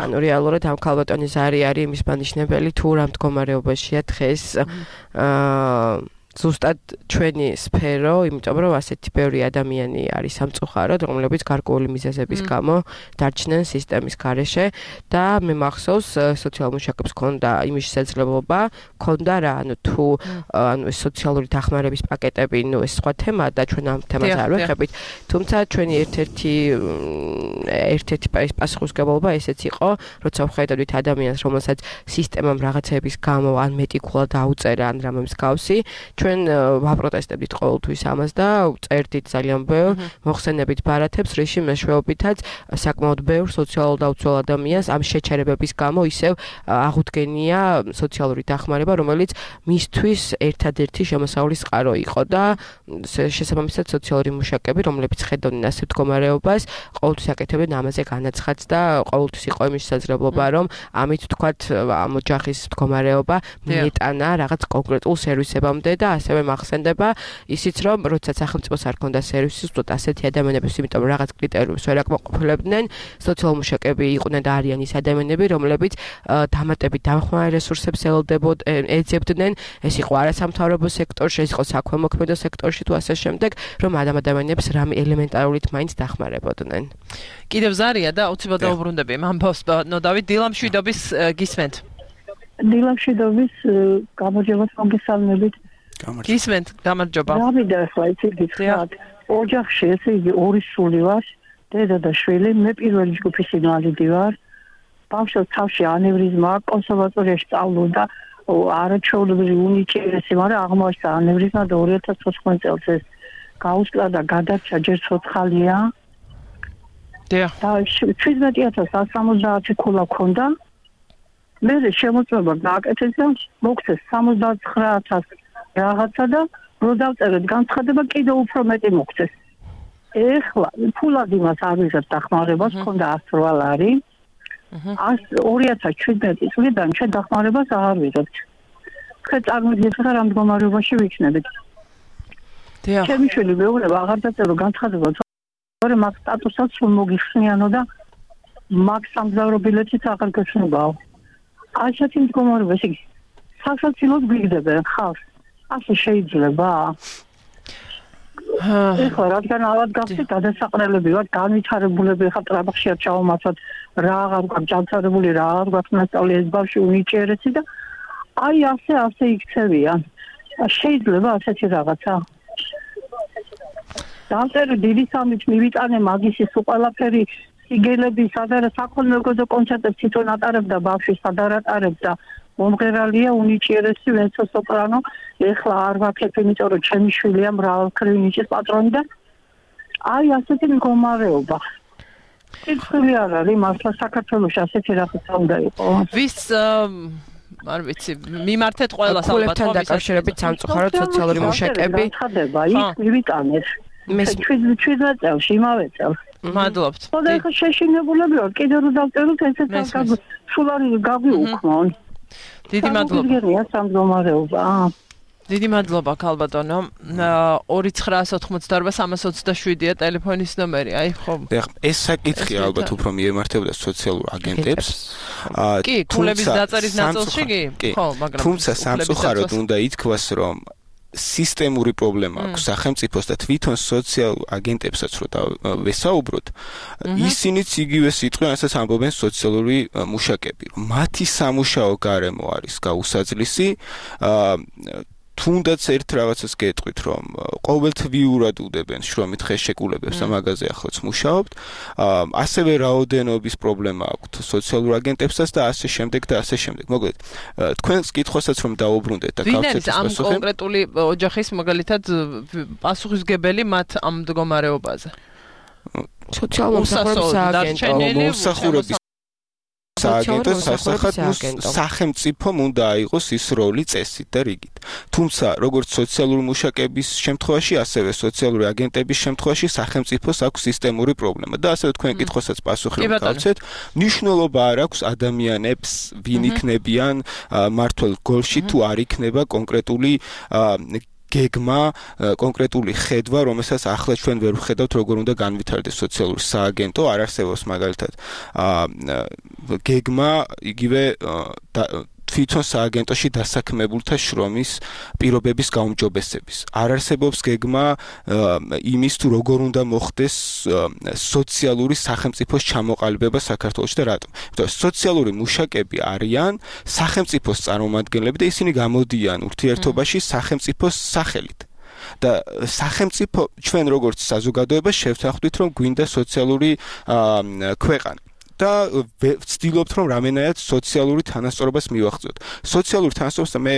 ანუ რეალურად ამ ქალბატონის ზარი არის იმის მანიშნებელი თუ რა მდგომარეობაშია დღეს ზუსტად ჩვენი სფერო, იმიტომ რომ ასეთი ბევრი ადამიანი არის სამწუხაროდ, რომლებიც გარკვეული მიზეზების გამო დარჩნენ სისტემის გარეშე და მე მახსოვს სოციალურ მუშაკებს ქონდა იმის შესაძლებლობა, ქონდა რა, ანუ თუ ანუ სოციალური დახმარების პაკეტები, ნუ ეს სხვა თემაა და ჩვენ ამ თემაზე არ ვეხებით, თუმცა ჩვენი ერთ-ერთი პასუხისმგებლობა ესეც იყო, როცა ვხედავთ ადამიანს, რომელსაც სისტემამ რაღაცების გამო ან მეტიკულად დაუწერა ან რამე მსგავსი, ჩვენ ვაპროტესტებდით ყოველთვის ამას და წერდით ძალიან ბევრ მოხსენებით ბარათებს, რიში მეშვეობითაც საკმაოდ ბევრ სოციალურ დაუცველ ადამიანს ამ შეჩერებების გამო ისევ აღუდგენია სოციალური დახმარება, რომელიც მისთვის ერთადერთი შემოსავლის წყარო იყო და შესაბამისად სოციალური მუშაკები, რომლებიც ხედავდნენ ასე მდგომარეობას, ყოველთვის აკეთებდნენ ამაზე განაცხადს და ყოველთვის იყო იმის შესაძლებლობა, რომ ამით თქვათ ამ ოჯახის მდგომარეობა მიეტანა რაღაც კონკრეტულ სერვისებამდე და ასევე მახსენდება ისიც რომ როდესაც სახელმწიფოს არ ქონდა სერვისი უბრალოდ ასეთი ადამიანების იმიტომ რომ რაღაც კრიტერიუმებს ვერ აკმაყოფილებდნენ სოციალური მუშაკები იყვნენ და არიან ის ადამიანები რომლებიც დამატებით დამხმარე რესურსებს ეძებდნენ ეს იყო არასამთავრობო სექტორში ეს იყო საქველმოქმედო სექტორში თუ ასე შემდეგ რომ ადამიანებს რამე ელემენტარულით მაინც დახმარებოდნენ კიდევ ზარია და უცებად დაუბრუნდები ამბავს ნო დავით დილამშვიდობის გისმენთ დილამშვიდობის გამარჯობა მოგესალმებით გისმენთ გამარჯობა დავიდა ახლა იცით გითხრათ ოჯახში ესე იგი ორი სული ვარ დედა და შვილი მე პირველი ჯგუფის ინვალიდი ვარ ბავშვს თავში ანევრიზმა კონსერვატორიაში სწავლობდა არაჩვეულებრივი უნიჭიერესი მაგრამ აღმოჩნდა ანევრიზმა და 2014 წელს ეს გაუსკლა და გადარჩა ჯერ ცოცხალია და 17070 ქულა ქონდა მე შემოწმება გააკეთეს და მოგცეს 79000 რაღაცა და რო დავწერეთ განცხადება კიდევ უფრო მეტი მოგცეს ეხლა ფულად იმას არ ვიღებ დახმარებას ქონდა 108 ლარი 2017 წლიდან ჩვენ დახმარებას აღარ ვიღებთ ხე წარმოგიდგენთ რა მდგომარეობაში ვიქნებით ჩემი შვილი მეუბნება აღარ დაწერო განცხადება თორემ მაგ სტატუსაც სულ მოგიხსნიანო და მაგ სამგზავრო ბილეთიც აღარ გეშნობაო ასეთი მდგომარეობა ისე სასაცილოდ გვიგდებენ ხალხს ასე შეიძლება ეხლა რადგან ავად გავხსით გადასაყრელები ვარ განვითარებულები ხა ტრაბახში არ ჩავმართვათ რა აღარ გვაქვს ჯანმრთელებული რა აღარ გვაქვს მასწავლე ეს ბავშვი უნიჭიერესი და აი ასე იქცევიან შეიძლება ასეთი რაღაცა დავწერე დიდი სამით მივიტანე მაგისის უყალაფერი სიგელები სადარა საქველმოქმედო კონცერტებს თვითონ ატარებდა ბავშვი სადარ ატარებდა მომღერალია უნიჭიერესი ვენცო სოპრანო ეხლა არ ვაქებ იმიტომ რომ ჩემი შვილია მრავალმხრივი ნიჭის პატრონი და აი ასეთი მდგომარეობა სიცხლე არ არის მართლა საქართველოში ასეთი რაღაცა უნდა იყოს ვის არ ვიცი მიმართეთ ყველას ალბათ ხომ დაკავშირებით სამწუხაროდ სოციალური მუშაკები ხდება იქ მივიტანეთ მე 17 წელს იმავე წელს მადლობთ ხოდა ეხლა შეშინებულები ვარ კიდევ რო დავწეროთ ესეც სულ არის გავიუქმონ დიდი მადლობა დიდი მადლობა ქალბატონო 2988-327-ია ტელეფონის ნომერი აი ხო ეს საკითხი ალბათ უფრო მიემართებოდა სოციალურ აგენტებს კი ქულების დაწერის ნაწილში კი ხო მაგრამ თუმცა სამწუხაროდ უნდა ითქვას რომ სისტემური პრობლემა აქვს სახელმწიფოს და თვითონ სოციალურ აგენტებსაც რო ვესაუბროთ ისინიც იგივე სიტყვასაც ამბობენ სოციალური მუშაკები რომ მათი სამუშაო გარემო არის გაუსაძლისი თუნდაც ერთ რაღაცას გეტყვით რომ ყოველთვიურად უდებენ შრომით ხელშეკრულებებს და მაგაზე ახლაც მუშაობთ ასევე რაოდენობის პრობლემა აქვს სოციალურ აგენტებსაც და ასე შემდეგ და ასე შემდეგ მოკლედ თქვენს კითხვასაც რომ დაუბრუნდეთ და გავცეთ ამ კონკრეტული ოჯახის მაგალითად პასუხისგებელი მათ ამ მდგომარეობაზე სოციალურ სააგენტო სასახად სახელმწიფომ უნდა აიღოს ის როლი წესით და რიგით. თუმცა, როგორც სოციალური მუშაკების შემთხვევაში, ასევე სოციალური აგენტების შემთხვევაში სახელმწიფოს აქვს სისტემური პრობლემა და ასევე თქვენ კითხვასაც პასუხი გავცეთ, მნიშვნელობა არ აქვს ადამიანებს, ვინ იქნებიან მართლ გოლში თუ არ იქნება კონკრეტული გეგმა კონკრეტული ხედვა, რომელსაც ახლა ჩვენ ვერ ვხედავთ, როგორ უნდა განვითარდეს სოციალური სააგენტო, არ არსებობს მაგალითად გეგმა იგივე თვითონ სააგენტოში დასაქმებულთა შრომის პირობების გაუმჯობესების. არ არსებობს გეგმა იმის თუ როგორ უნდა მოხდეს სოციალური სახელმწიფოს ჩამოყალიბება საქართველოში და რატომ. სოციალური მუშაკები არიან სახელმწიფოს წარმომადგენლები და ისინი გამოდიან ურთიერთობაში სახელმწიფოს სახელით. და სახელმწიფო ჩვენ როგორც საზოგადოება შევთანხმდით რომ გვინდა სოციალური ქვეყანა და ვცდილობთ რომ რამენაირად სოციალური თანასწორობას მივახცოთ. სოციალური თანასწორობა მე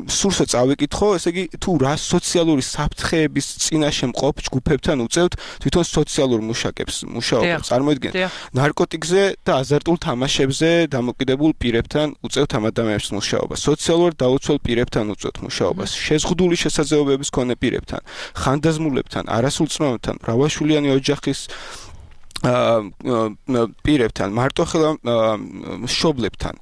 სურსო წავიკითხო, ესე იგი თუ რა სოციალური საფრთხეების წინაშე მყოფ ჯგუფებთან უწევთ თვითონ სოციალურ მუშაკებს მუშაობას. წარმოიდგინეთ, ნარკოტიკზე და აზარტულ თამაშებზე დამოკიდებულ პირებთან უწევთ ამ ადამიანებს მუშაობას. სოციალურად დაუცველ პირებთან უწევთ მუშაობას. შეზღუდული შესაძლებლობების მქონე პირებთან, ხანდაზმულებთან, არასრულწლოვანებთან, მრავალშვილიანი ოჯახის პირებთან, მარტოხელა მშობლებთან,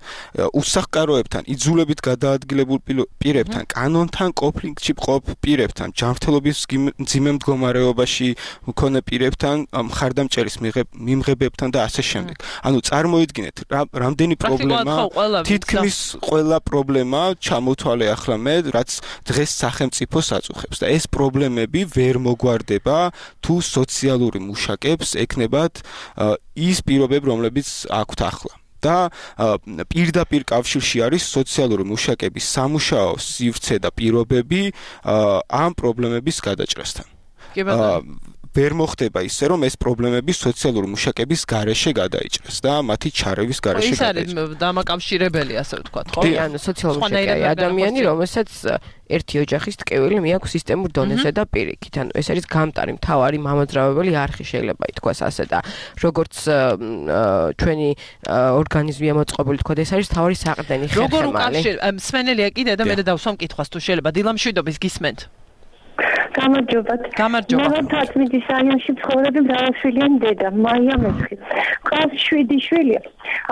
უსახკაროებთან, იძულებით გადაადგილებულ პირებთან, კანონთან კონფლიქტში მყოფ პირებთან, ჯანმრთელობის მძიმე მდგომარეობაში მქონე პირებთან, მხარდამჭერის მიმღებებთან და ასე შემდეგ. ანუ წარმოიდგინეთ, რამდენი პრობლემა, თითქმის ყველა პრობლემა ჩამოთვალე ახლა მე, რაც დღეს სახელმწიფოს აწუხებს და ეს პრობლემები ვერ მოგვარდება თუ სოციალური მუშაკებს ექნება ის პირობები, რომლებიც აქვთ ახლა. და პირდაპირ კავშირში არის სოციალური მუშაკების სამუშაო სივრცე და პირობები ამ პრობლემების გადაჭრასთან. ვერ მოხდება ისე, რომ ეს პრობლემები სოციალური მუშაკების გარეშე გადაიჭრას და მათი ჩარევის გარეშე გადაიჭრას. ის არის დამაკავშირებელი, ასე ვთქვათ, ხო? ანუ სოციალური მუშაკი ადამიანი, რომელსაც ერთი ოჯახის ტკივილი მიაქვს სისტემურ დონეზე და პირიქით. ანუ ეს არის გამტარი, მთავარი მამოძრავებელი არხი შეიძლება ითქვას ასე და როგორც ჩვენი ორგანიზმია მოწყობილი თქვა, ეს არის მთავარი საყრდენი ხერხემალი. როგორ უკავშირ მსმენელია კიდე და მე დავსვამ კითხვას თუ შეიძლება დილამშვიდობის გისმენთ. გამარჯობათ. მე თათმიდის რაიონში ცხოვრობდი, მრავალშვილიანი დედა, მაია მეცხი. ყავს 7 შვილი.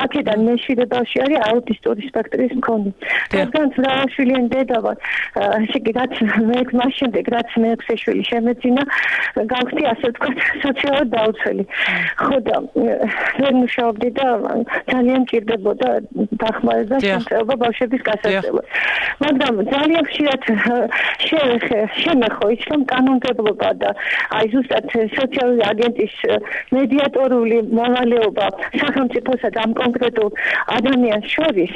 აქედან მე 7 ბავშვი არის აუტისტური სპექტრის მქონე. რადგან მრავალშვილიანი დედა ვარ, რაც მე მას შემდეგ რაც მე 6 შვილი შემეძინა, გავხდი ასე ვთქვათ, სოციალურად დაუცველი. ხო და ვერ მუშაობდი და ძალიან მჭირდებოდა დახმარება შემწეობა ბავშვების გასაწევად. მაგრამ ძალიან ხშირად შემეხო ის რომ კანონმდებლობა და აი ზუსტად სოციალური აგენტის მედიატორული მოვალეობა სახელმწიფოსა და ამ კონკრეტულ ადამიანს შორის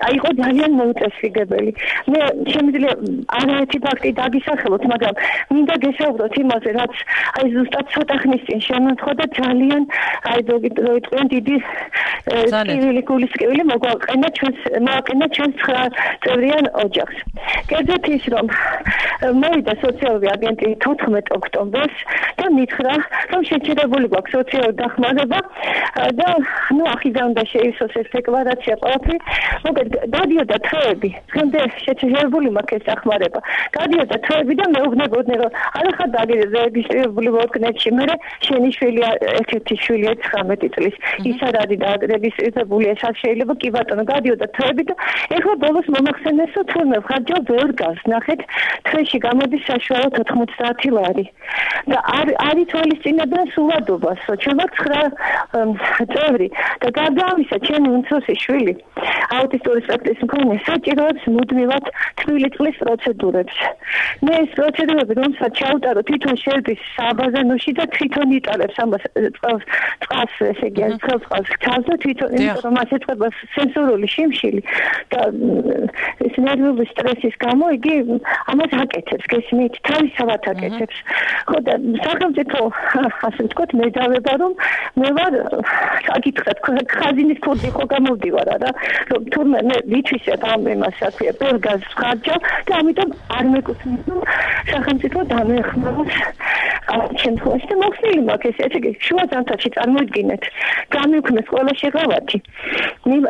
აიყო ძალიან მოუწესრიგებელი. მე შემიძლია არაერთი ფაქტი დაგისახელოთ, მაგრამ მინდა გესაუბროთ იმაზე, რაც აი ზუსტად ცოტა ხნის წინ შემონთხო და ძალიან აი დროიტყვიან დიდი გულისკივილი მოგვაყენა ჩვენს 9 წევრიან ოჯახს. კერძოდ ის რომ მოვიდა სოციალური აგენტი 14 ოქტომბერს და მითხრა, რომ შეჩერებული გვაქვს სოციალური დახმარება და ახიდან უნდა შეივსოს ეს დეკლარაცია ყველაფერი. მოგეთ გადიოდა თვეები, დღემდე შეჩერებული მაქვს ეს დახმარება. გადიოდა თვეები და მეუბნებოდნენ, რომ არახარ დაგირეგისტრირებული ვორკნეტში, მე შენი შვილი ერთ-ერთი შვილია 19 წლის. ის არ არის დარეგისტრირებული, ეს არ შეიძლება. კი ბატონო, გადიოდა თვეები და ეხლა ბოლოს მომახსენეს, რომ თურმე ხარჯავ ვერ გავს. ნახეთ, თვეში გამოდის საშუალოდ 90 ლარი. და არ ითვალისწინებენ სულადობას, ჩვენ ვართ 9 წევრი და გარდა ამისა, ჩემი უმცროსი შვილი აუტისტური სპექტრის მქონე საჭიროებს მუდმივად თბილი წყლის პროცედურებს. მე ეს პროცედურები რომელსაც ჩავუტარო თვითონ შერდის საბაზანოში და თვითონ იტარებს ამას წყალს, ესე იგი, წყალს ხავს და თვითონ რომ მას ეწყება სენსორული შიმშილი და ეს ნერვული სტრესის გამო იგი ამას აკეთებს, გესმით, თავისთავად აკეთებს. ხო და სახელმწიფო ასე ვთქვათ, მე დავება რომ მე ვარ საკითხად ხაზინის ქურდი ხო გამოვდივარ რა, რომ თურმე მე ვითვისებ ამ იმას საქმეა, ბელგაზ ხარჯავ და ამიტომ არ მეკუთვნის რომ სახელმწიფო დამეხმაროს ამ შემთხვევაში და მოხსნილი მაქვს ესე იგი შუა ზამთარში წარმოიდგინეთ, გამიუქმეს ყველა შეღავათი.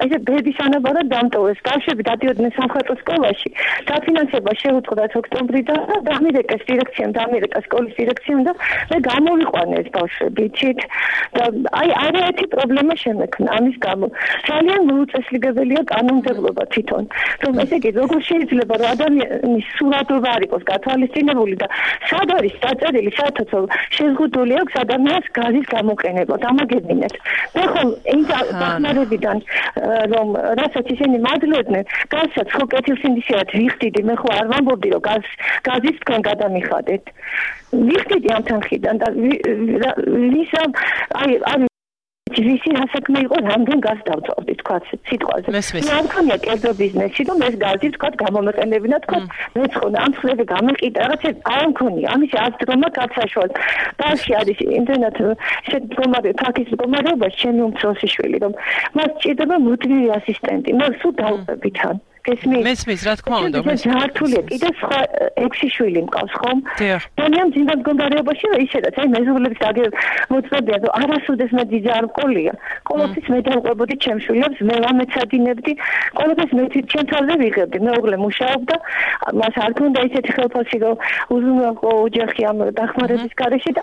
ესე ბედის ანაბარად დამტოვეს, ბავშვები დადიოდნენ სამხატვრო სკოლაში, დაფინანსება შეუწყდათ ოქტომბრიდან და დამირეკეს დირექციამ, სკოლის დირექციამ და მე გამოვიყვანე ეს ბავშვები, იცით? და აი არაერთი პრობლემა შემექნა ამის გამო. ძალიან მოუწესრიგებელია კანონმდებლობა თვითონ. რომ ესე იგი როგორ შეიძლება რომ ადამიანის სურათობა არ იყოს გათვალისწინებული და სად არის დაწერილი საერთოდ შეზღუდული აქვს ადამიანს გაზის გამოყენება, დამაგებინეთ. მე ხომ იმ დახმარებიდან რომ რასაც ისინი მადლობდნენ, გაზსაც ხო კეთილსინდისიერად ვიხდიდი, მე ხო არ ვამბობდი რომ გაზის თქვენ გადამიხადეთ. ვიხდიდი ამ თანხიდან და ვისა აი ვისი ასაკმე იყო რამდენ გაზს დავწოვდი თქვათ სიტყვაზე. მე არ მქონია კერძო ბიზნესი რომ ეს გაზი თქვათ გამომეყენებინა თქვათ მეცხონა ამ ხლები გამეყიდა რაღაცა არ მქონია. ამის აზრმა გასაშვალ. ბავშვი არის იმდენად მდგომარე ფაქის მდგომარეობაში ჩემი უმცროსი შვილი რომ მას ჭირდება მუდმივი ასისტენტი. მე სულ დავუყებიდან. მესმის, რა თქმა უნდა, მართულია, კიდე სხვა 6 შვილი მყავს ხომ? ძალიან ძინდა მდგომარეობაში ისედაც, აი მეზობლების მოწმებია, რომ არასოდეს მე ძიძა არ მყოლია. ყოველთვის მე დავყვებოდი ჩემს შვილებს, მე ვამეცადინებდი, ყოველთვის მე ჩემ თავზე ვიღებდი. მეუღლე მუშაობდა, მას არ ქონდა ისეთი ხელფასი, რომ უზრუნველყო ოჯახი ამ დახმარების გარეშე და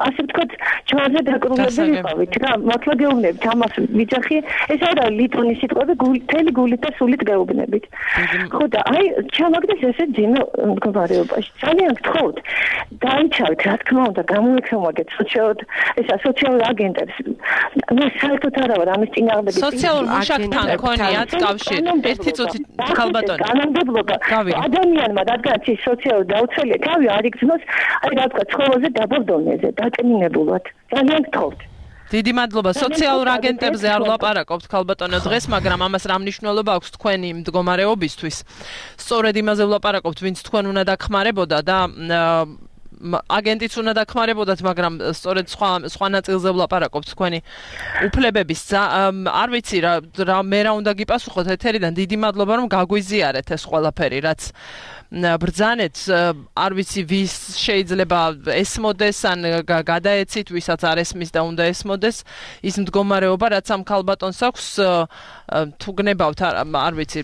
ასე ვთქვათ, ჯვარზე დაკრულებული ვიყავით რა, მართლა გეუბნებით ამას ვიძახი, ეს არა ლიტონის სიტყვები, მთელი გულით და სულით გეუბნებით. ხო და აი ჩამაგდეს ესე ძინო მდგომარეობაში. ძალიან გთხოვთ, დაიცავთ, რა თქმა უნდა, გამოექცევაგეთ სოციალურ აგენტებს. მე საერთოდ არა ვარ ამის წინააღმდეგ. სოციალურ მუშაკთან ქონიათ კავშირი. ერთი წუთი ქალბატონი. განმდებობა ადამიანმა რადგანაც ის სოციალური დაუცველია, თავი არ იგრძნოს, აი რა თქვა, ცხოვრზე დაბოლ დონეზე, დაკნინებულად. ძალიან გთხოვთ. დიდი მადლობა. სოციალურ აგენტებზე არ ვლაპარაკობთ ქალბატონო დღეს, მაგრამ ამას რა მნიშვნელობა აქვს თქვენი მდგომარეობისთვის? სწორედ იმაზე ვლაპარაკობთ, ვინც თქვენ უნდა დახმარებოდა და აგენტიც უნდა დახმარებოდათ, მაგრამ სწორედ სხვა ნაწილზე ვლაპარაკობთ თქვენი უფლებების. არ ვიცი რა მე რა უნდა გიპასუხოთ ეთერიდან. დიდი მადლობა რომ გაგვიზიარეთ ეს ყველაფერი, რაც ბრძანეთ, არ ვიცი ვის შეიძლება ესმოდეს ან გადაეცით, ვისაც არ ესმის და უნდა ესმოდეს ის მდგომარეობა, რაც ამ ქალბატონს აქვს, თუ გნებავთ, არ ვიცი,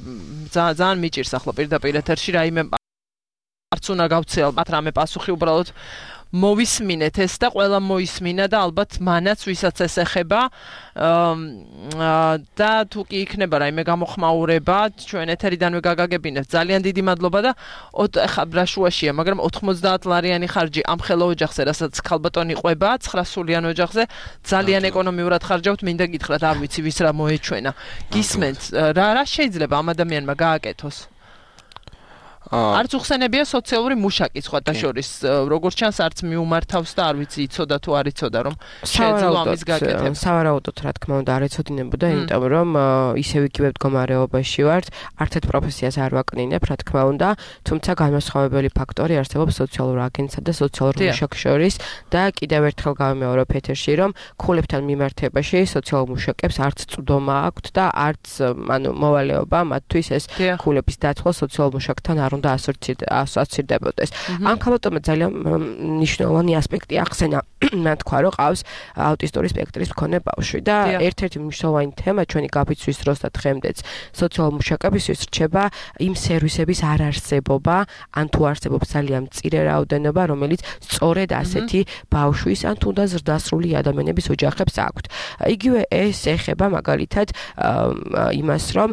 ძალიან მიჭირს ახლა პირდაპირ ეთერში რაიმე არც უნდა გავცე ალბათ რამე პასუხი, უბრალოდ მოვისმინეთ ეს და ყველა მოისმინა და ალბათ მანაც ვისაც ეს ეხება და თუ კი იქნება რაიმე გამოხმაურება, ჩვენ ეთერიდანვე გაგაგებინებთ. ძალიან დიდი მადლობა და ეხლა ბრაშუაშია, მაგრამ 90 ლარიანი ხარჯი ამ ხელო ოჯახზე, რასაც ქალბატონი ყვება 9 სულიან ოჯახზე, ძალიან ეკონომიურად ხარჯავთ, მინდა გითხრათ, არ ვიცი ვის რა მოეჩვენა. გისმენთ, რა შეიძლება ამ ადამიანმა გააკეთოს? არც უხსენებია სოციალური მუშაკი სხვათა შორის, როგორც ჩანს არც მიუმართავს და არ ვიცი იცოდა თუ არ იცოდა რომ შეეძლო ამის გაკეთება. სავარაუდოდ რა თქმა უნდა არ ეცოდინებოდა, იმიტომ რომ ისევ იგივე მდგომარეობაში ვართ, არც ერთ პროფესიას არ ვაკნინებ, რა თქმა უნდა, თუმცა განმასხვავებელი ფაქტორი არსებობს სოციალურ აგენტსა და სოციალურ მუშაკს შორის და კიდევ ერთხელ გავიმეორებ ეთერში, რომ ქულებთან მიმართებაში სოციალურ მუშაკებს არც წვდომა აქვთ და არც მოვალეობა მათთვის ეს ქულების დაცვა სოციალურ მუშაკთან არ უნდა ასოცირდებოდეს. ამ ქალბატონმა ძალიან მნიშვნელოვანი ასპექტი ახსენა, მე თქვა რომ ყავს აუტისტური სპექტრის მქონე ბავშვი და ერთ-ერთი მნიშვნელოვანი თემა ჩვენი გაფიცვის დროს და დღემდეც სოციალურ მუშაკებისთვის რჩება იმ სერვისების არარსებობა, ან თუ არსებობს ძალიან მწირე რაოდენობა, რომელიც სწორედ ასეთი ბავშვის ან თუნდაც ზრდასრული ადამიანების ოჯახებს აქვთ. იგივე ეს ეხება მაგალითად იმას, რომ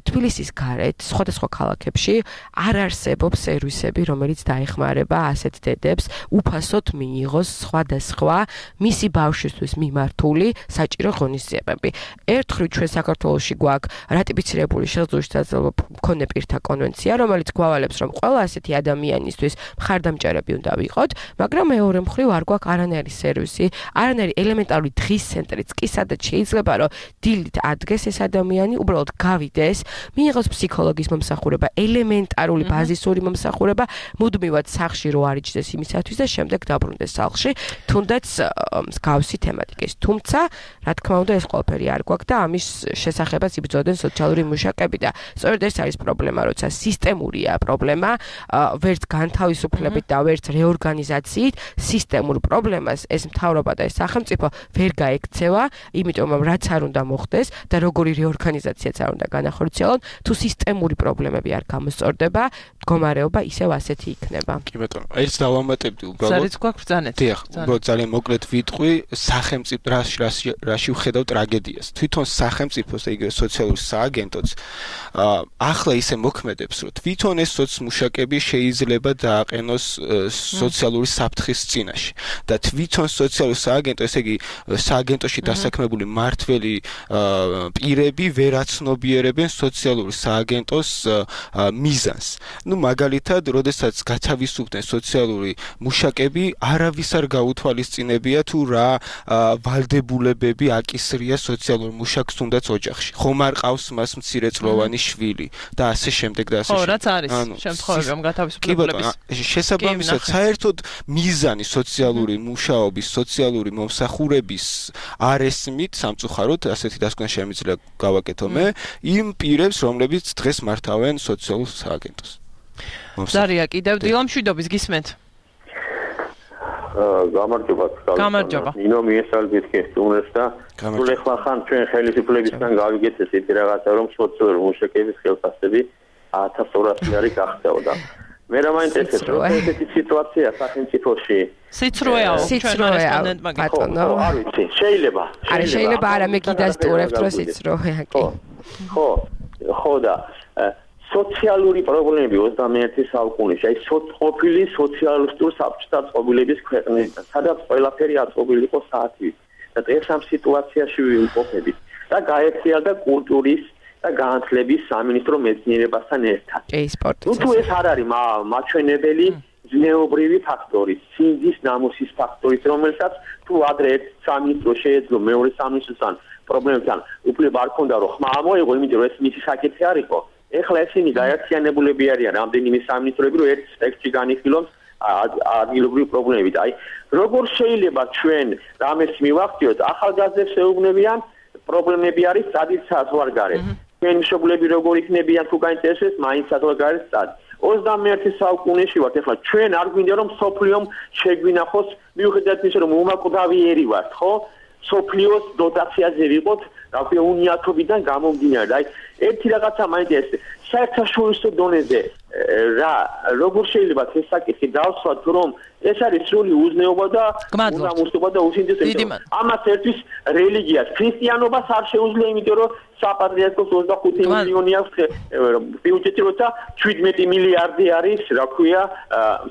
თბილისის გარეთ სხვადასხვა ქალაქებში არ არსებობს სერვისები, რომელიც დაეხმარება ასეთ დედებს უფასოდ მიიღოს სხვადასხვა მისი ბავშვისთვის მიმართული საჭირო ღონისძიებები. ერთხელ ჩვენ საქართველოში გვაქვს რატიფიცირებული შესაძლებლობა მქონე პირთა კონვენცია, რომელიც გვავალებს, რომ ყველა ასეთი ადამიანისთვის მხარდამჭერები უნდა ვიყოთ, მაგრამ მეორე მხრივ არ გვაქვს არანაირი სერვისი, არანაირი ელემენტარული დღის ცენტრიც კი, სადაც შეიძლება რომ დილით ადგეს ეს ადამიანი, უბრალოდ გავიდეს, მიიღოს ფსიქოლოგის მომსახურება, ელემენტარული ბაზისური მომსახურება, მუდმივად სახლში რო არიჯდეს იმისათვის და შემდეგ დაბრუნდეს სახლში, თუნდაც მსგავსი თემატიკის. თუმცა, რა თქმა უნდა, ეს ყველაფერი არ გვაქვს და ამის შესახებაც იბრძოდნენ სოციალური მუშაკები და სწორედ ეს არის პრობლემა, როცა სისტემურია პრობლემა, ვერც განთავისუფლებით და ვერც რეორგანიზაციით, სისტემურ პრობლემას ეს მთავრობა და ეს სახელმწიფო ვერ გაექცევა, იმიტომ რომ რაც არ უნდა მოხდეს და როგორი რეორგანიზაციაც არ უნდა განახორციელონ, თუ სისტემური პრობლემები არ გამოსწორდება, მდგომარეობა ისევ ასეთი იქნება. კი ბატონო, ეს დავამატებდი უბრალოდ. ზარიც გვაქვს ბრძანეთ. დიახ, უბრალოდ ძალიან მოკლედ ვიტყვი, სახელმწიფო რაში ვხედავ ტრაგედიას. თვითონ სახელმწიფოს და იგივე სოციალური სააგენტოც ახლა ისე მოქმედებს, რომ თვითონ ეს სოციმუშაკები შეიძლება დააყენოს სოციალური საფრთხის წინაშე და თვითონ სოციალური სააგენტო, ესე იგი სააგენტოში დასაქმებული მმართველი პირები ვერ აცნობიერებენ სოციალური სააგენტოს მიზანს. ანუ მაგალითად, როდესაც გათავისუფლდნენ სოციალური მუშაკები, არავის არ გაუთვალისწინებია თუ რა ვალდებულებები აკისრია სოციალურ მუშაკს თუნდაც ოჯახში. ხომ არ ყავს მას მცირეწლოვანი შვილი და ასე შემდეგ და ასე შემდეგ. ხო, რაც არის შემთხვევები, რომ გათავისუფლებლების შესაბამისად, საერთოდ მიზანი სოციალური მუშაობის, სოციალური მომსახურების არ ესმით სამწუხაროდ, ასეთი დასკვნა შემიძლია გავაკეთო მე, იმ პირებს, რომლებიც დღეს მართავენ სოციალურ სააგენტოს. ზარია კიდევ დილამშვიდობის გისმენთ. გამარჯობა. ნინო მიესალმებით გესტუმრებს და სულ ახლა ხან ჩვენ ხელისუფლებისგან გავიგეთ ესეთი რაღაცა, რომ სოციალური მუშაკების ხელფასები 1200 ლარი გახდებოდა. მე რა მაინტერესებს, რომ ესეთი სიტუაცია სახელმწიფოში სიცრუეა ჩვენ რესპონდენტმა გითხოვა. არ ვიცი, შეიძლება. შეიძლება არა მე კიდასტურებთ რომ სიცრუეა კი. ხო და სოციალური პრობლემები 21 საუკუნეში, აი ყოფილი სოციალისტურ საბჭოთა წყობილების ქვეყნებიდან, სადაც ყველაფერი აწყობილი იყო საათით. და დღეს ამ სიტუაციაში ვიმყოფებით და გაერთიანდა კულტურის და განათლების სამინისტრო მეცნიერებასთან ერთად. თუ ეს არ არის მაჩვენებელი ზნეობრივი ფაქტორი, სინძის ნამუსის ფაქტორი, რომელსაც თუ ადრე ერთ სამინისტრო შეეძლო მეორე სამინისტროსთან პრობლემებთან უფლება არ ქონდა რომ ხმა ამოიღო, იმიტომ რომ ეს მისი საკითხი არ იყო. ეხლა ესენი გაერთიანებულები არიან რამდენიმე სამინისტროები, რომ ერთ ტექსტში განიხილონ ადგილობრივი პრობლემებით. აი, როგორ შეიძლება ჩვენ რამეს მივახციოთ, ახალგაზრდებს ეუბნებიან, პრობლემები არის წადის საზღვარგარეთ. ჩვენ მშობლები როგორ იქნებიან თუ გაინტერესებს, მაინც საზღვარგარეთ წადი. 21 საუკუნეში ვართ, ეხლა ჩვენ არ გვინდა რომ სოფლიომ შეგვინახოს, მიუხედავად იმისა, რომ უმაკვდავიერი ვართ, ხო? სოფლიოს დოტაციაზე ვიყოთ, რაქვია უნიათობიდან გამომდინარე. აი, ერთი რაღაცა მაინტერესებს, საერთაშორისო დონეზე რა როგორ შეიძლება ეს საკითხი დავსვათ, რომ ეს არის სრული უზნეობა და უნამუსობა და უსინდისწინებელობა. ამას ერთვის რელიგიას, ქრისტიანობას არ შეუძლია, იმიტომ რომ საპატრიარქოს 25 მილიონი აქვს ბიუჯეტი, როცა 17 მილიარდი არის, რა ქვია,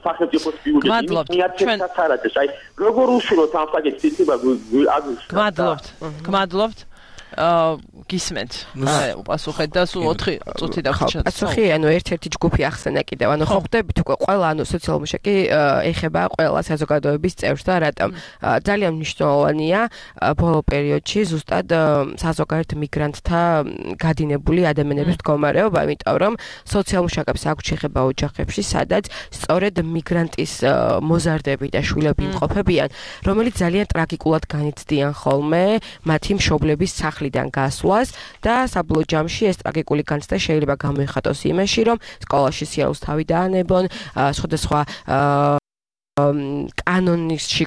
სახელმწიფოს ბიუჯეტი. მიაცესაც არ არის. აი, როგორ უშუალოდ ამ საკითხს იცება გმადლობთ. გისმენთ. უპასუხეთ და სულ 4 წუთი დაგვჭირდა. პასუხი, ანუ ერთ-ერთი ჯგუფი ახსენა კიდევ. ანუ ხო ხვდებით უკვე ყველა, ანუ სოციალურ მუშაკი ეხება ყველა საზოგადოების წევრს და რატომ ძალიან მნიშვნელოვანია ბოლო პერიოდში ზუსტად საზოგადოებრივ მიგრანტთა გადინებული ადამიანების მდგომარეობა, იმიტომ რომ სოციალურ მუშაკებს აქვს შეხება ოჯახებში, სადაც სწორედ მიგრანტის მოზარდები და შვილები იმყოფებიან, რომელიც ძალიან ტრაგიკულად განიცდიან ხოლმე მათი მშობლების სახლიდან გასვლას და საბოლოო ჯამში ეს ტრაგიკული განცდა შეიძლება გამოიხატოს იმაში, რომ სკოლაში სიარულს თავი დაანებონ, სხვადასხვა კანონში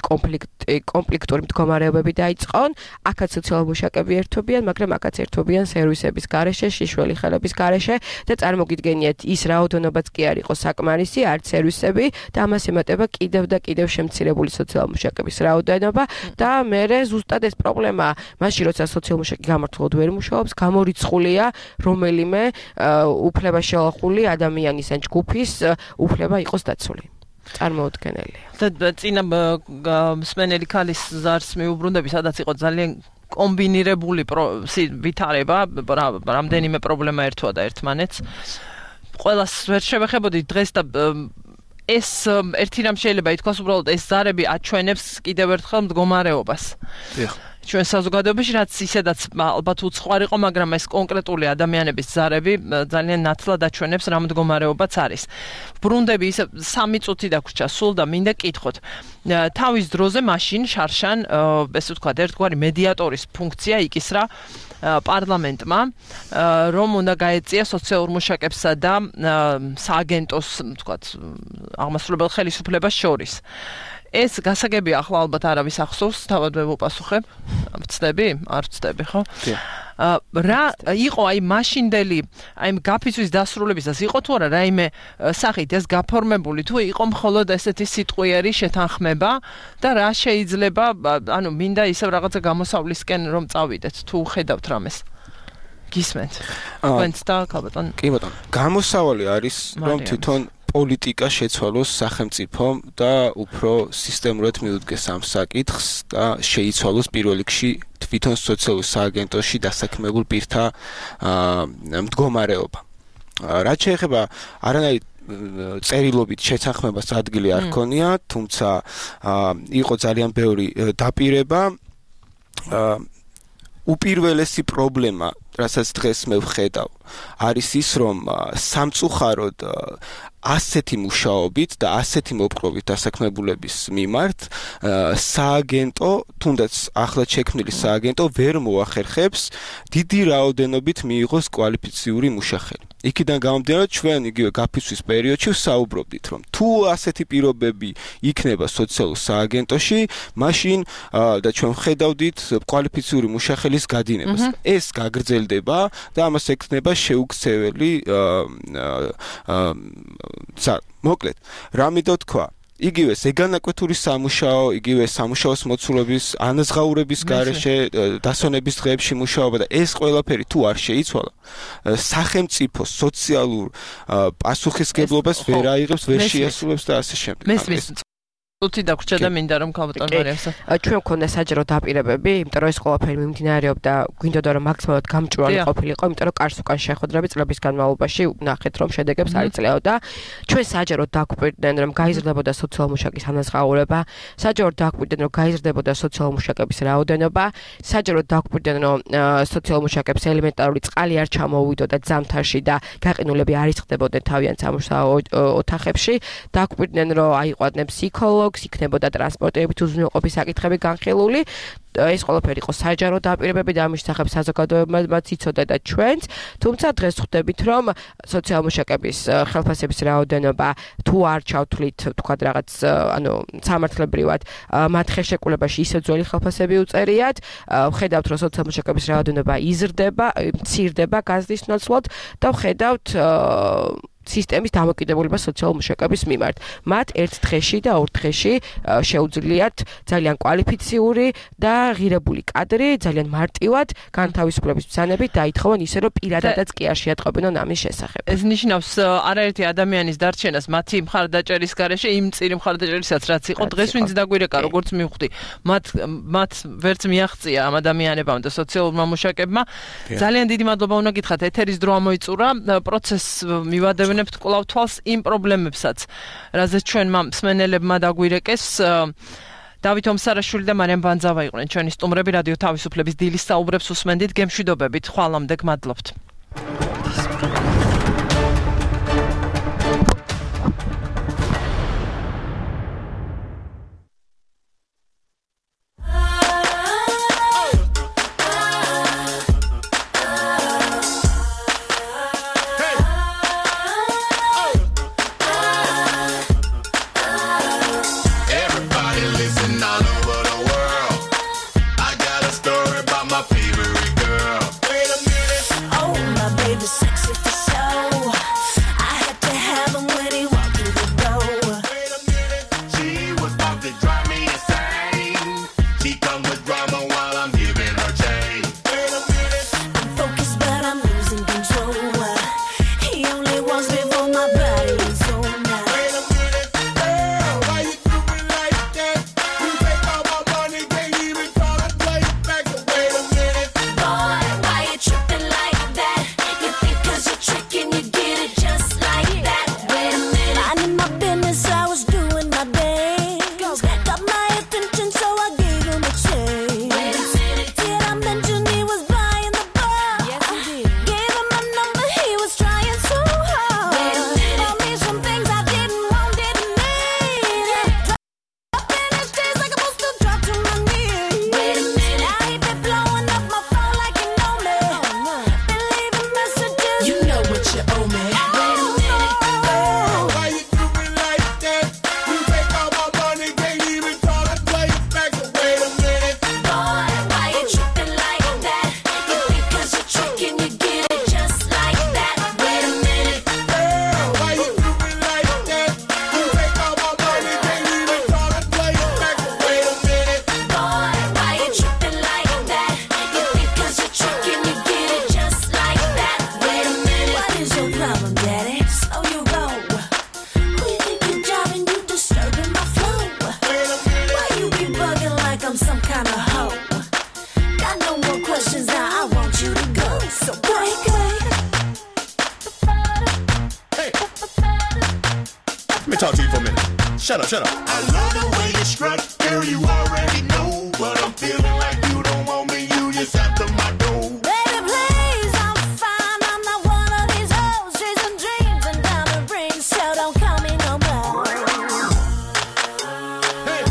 კონფლიქტური მდგომარეობები დაიწყონ, აქაც სოციალურ მუშაკები ერთობიან, მაგრამ აქაც ერთობიან სერვისების გარეშე, შიშველი ხელების გარეშე და წარმოგიდგენიათ ის რაოდენობაც კი არ იყო საკმარისი, არც სერვისები და ამას ემატება კიდევ და კიდევ შემცირებული სოციალურ მუშაკების რაოდენობა და მერე ზუსტად ეს პრობლემა, მაშინ როცა სოციალურ მუშაკი გამართულად ვერ მუშაობს, გამორიცხულია რომელიმე უფლება შელახული ადამიანის ან ჯგუფის უფლება იყოს დაცული. წარმოუდგენელია. და წინა მსმენელი ქალის ზარს მიუბრუნდები, სადაც იყო ძალიან კომბინირებული ვითარება, რამდენიმე პრობლემა ერთვადა ერთმანეთს. ყველას ვერ შევეხებოდი დღეს და ეს ერთი რამ შეიძლება ითქვას, უბრალოდ ეს ზარები აჩვენებს კიდევ ერთხელ მდგომარეობას. ჩვენ საზოგადოებაში რაც ისედაც ალბათ უცხოარ იყო, მაგრამ ეს კონკრეტული ადამიანების ზარები ძალიან ნათლად აჩვენებს რა მდგომარეობაც არის. ბრუნდები ისე 3 წუთი დაგვრჩა სულ და მინდა კითხოთ. თავის დროზე მაშინ შარშან, ესე ვთქვათ, ერთგვარი მედიატორის ფუნქცია იკისრა პარლამენტმა, რომ უნდა გაეწია სოციალურ მუშაკებსა და სააგენტოს, ვთქვათ, აღმასრულებელ ხელისუფლებას შორის. ეს გასაგებია, ახლა ალბათ არავის ახსოვს, თავად მე ვუპასუხებ. ვწდები? არ ვწდები, ხო? რა იყო აი მაშინდელი, აი გაფიცვის დასრულებისას იყო თუ არა რაიმე სახით ეს გაფორმებული, თუ იყო მხოლოდ ესეთი სიტყვიერი შეთანხმება და რა შეიძლება, ანუ მინდა ისევ რაღაცა გამოსავლისკენ რომ წავიდეთ, თუ ხედავთ რამეს. გისმენთ. თქვენც და ქალბატონ. კი ბატონო. გამოსავალი არის, რომ თვითონ პოლიტიკა შეცვალოს სახელმწიფომ და უფრო სისტემურად მიუდგეს ამ საკითხს და შეიცვალოს პირველ რიგში თვითონ სოციალურ სააგენტოში დასაქმებულ პირთა მდგომარეობა. რაც შეეხება არანაირ წერილობით შეთანხმებას ადგილი არ ქონია, თუმცა იყო ძალიან ბევრი დაპირება. უპირველესი პრობლემა, რასაც დღეს მე ვხედავ, არის ის, რომ სამწუხაროდ ასეთი მუშაობით და ასეთი მოპყრობით დასაქმებულების მიმართ სააგენტო, თუნდაც ახლად შექმნილი სააგენტო ვერ მოახერხებს დიდი რაოდენობით მიიღოს კვალიფიციური მუშახელი. იქიდან გამომდინარე, ჩვენ იგივე გაფიცვის პერიოდში ვსაუბრობდით, რომ თუ ასეთი პირობები იქნება სოციალურ სააგენტოში, მაშინ და ჩვენ ვხედავდით კვალიფიციური მუშახელის გადინებას. ეს გაგრძელდება და ამას ექნება შეუქცეველი მოკლედ, რა მინდა თქვა, იგივე ზეგანაკვეთური სამუშაო, იგივე სამუშაოს მოცულობის, ანაზღაურების გარეშე, დასვენების დღეებში მუშაობა და ეს ყველაფერი თუ არ შეიცვალა, სახელმწიფო სოციალურ პასუხისმგებლობას ვერ აიღებს, ვერ შეასრულებს და ასე შემდეგ. თუთი დაგვრჩა და მინდა რომ ქალბატონ მარიასა. ჩვენ მქონდა საჯარო დაპირებები, იმიტომ რომ ეს ყველაფერი მიმდინარეობდა, გვინდოდა რომ მაქსიმალურად გამჭვირვალე ყოფილიყო, იმიტომ რომ კარს უკან შეხვედრები წლების განმავლობაში ნახეთ რომ შედეგებს არ იძლეოდა. ჩვენ საჯაროდ დაგვირდნენ რომ გაიზრდებოდა სოციალურ-მუშაკის ანაზღაურება, საჯაროდ დაგვირდნენ რომ გაიზრდებოდა სოციალურ-მუშაკების რაოდენობა, საჯაროდ დაგვირდნენ რომ სოციალურ-მუშაკებს ელემენტარული წყალი არ ჩამოუვიდოდა ძამთარში და გაყინულები არ იხდებოდნენ თავიანთ სამუშაო ოთახებში, დაგვირდნენ რომ აიყვადნენ ფსიქოლოგს, იქნებოდა ტრანსპორტირებით უზრუნველყოფის საკითხები განხილული. ეს ყველაფერი იყო საჯარო დაპირებები და ამის შესახებ საზოგადოებამ იცოდა და ჩვენც, თუმცა დღეს ხვდებით რომ სოციალურ-მუშაკების ხელფასების რაოდენობა თუ არ ჩავთვლით თქვათ რაღაც სამართლებრივად მათ ხელშეკრულებაში ისე ძველი ხელფასები უწერიათ, ვხედავთ რომ სოციალურ-მუშაკების რაოდენობა იზრდება, მცირდება გაზრდის ნაცვლად და ვხედავთ სისტემის დამოკიდებულება სოციალურ-მუშაკების მიმართ. მათ ერთ დღეში და ორ დღეში შეუძლიათ ძალიან კვალიფიციური და ღირებული კადრი, ძალიან მარტივად განთავისუფლების ბრძანებით დაითხოვონ ისე რომ პირადადაც კი არ შეატყობინონ ამის შესახებ. ეს ნიშნავს არაერთი ადამიანის დარჩენას მათი მხარდაჭერის გარეშე, იმ წირი მხარდაჭერისაც რაც იყო დღეს ვინც დაგვირეკა, როგორც მივხვდი, მათ ვერც მიაღწია ამ ადამიანებამ და სოციალურმა მუშაკებმა. ძალიან დიდი მადლობა უნდა გითხრათ, ეთერის დრო ამოიწურა, პროცესს მივადევნებთ კვლავ თვალს იმ პრობლემებსაც, რაზეც ჩვენმა მსმენელებმა დაგვირეკეს. დავით ომსარაშვილი და მარიამ ბანძავა იყვნენ ჩვენი სტუმრები რადიო თავისუფლების დილის საუბრებს უსმენდით, გემშვიდობებით, ხვალამდე გმადლობთ. Boy, why you tripping like that? You think 'cause you're Shut up. I love the way you strut, girl, you already know. But I'm feeling like you don't want me, you just after my door. Baby, please, I'm fine. I'm not one of these hoes chasing dreams and diamond rings, so don't call me no more. Hey.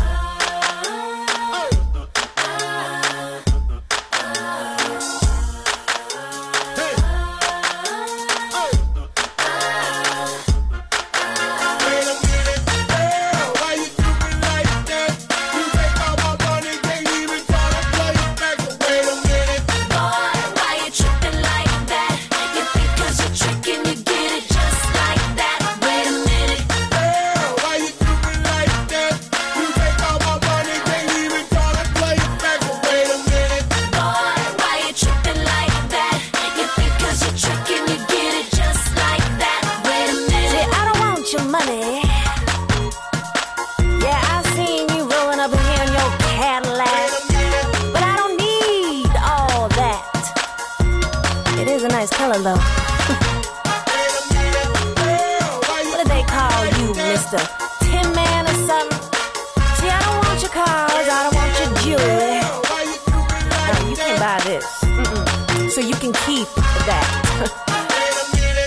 Though. What do they call you, Mr. Tin Man or something? See, I don't want your cars, I don't want your jewelry. No, you can't buy this. So you can keep that.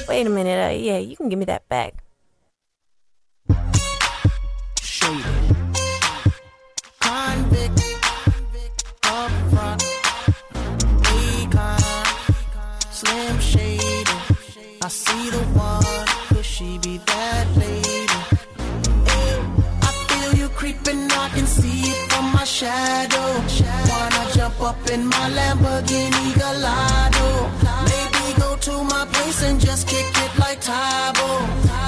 Wait a minute, yeah, you can give me that back. Convict up front. Slim Shady, I see the one, could she be that lady? Hey, I feel you creeping, I can see it from my shadow. Wanna jump up in my Lamborghini Gallardo? Maybe go to my place and just kick it like Tybo,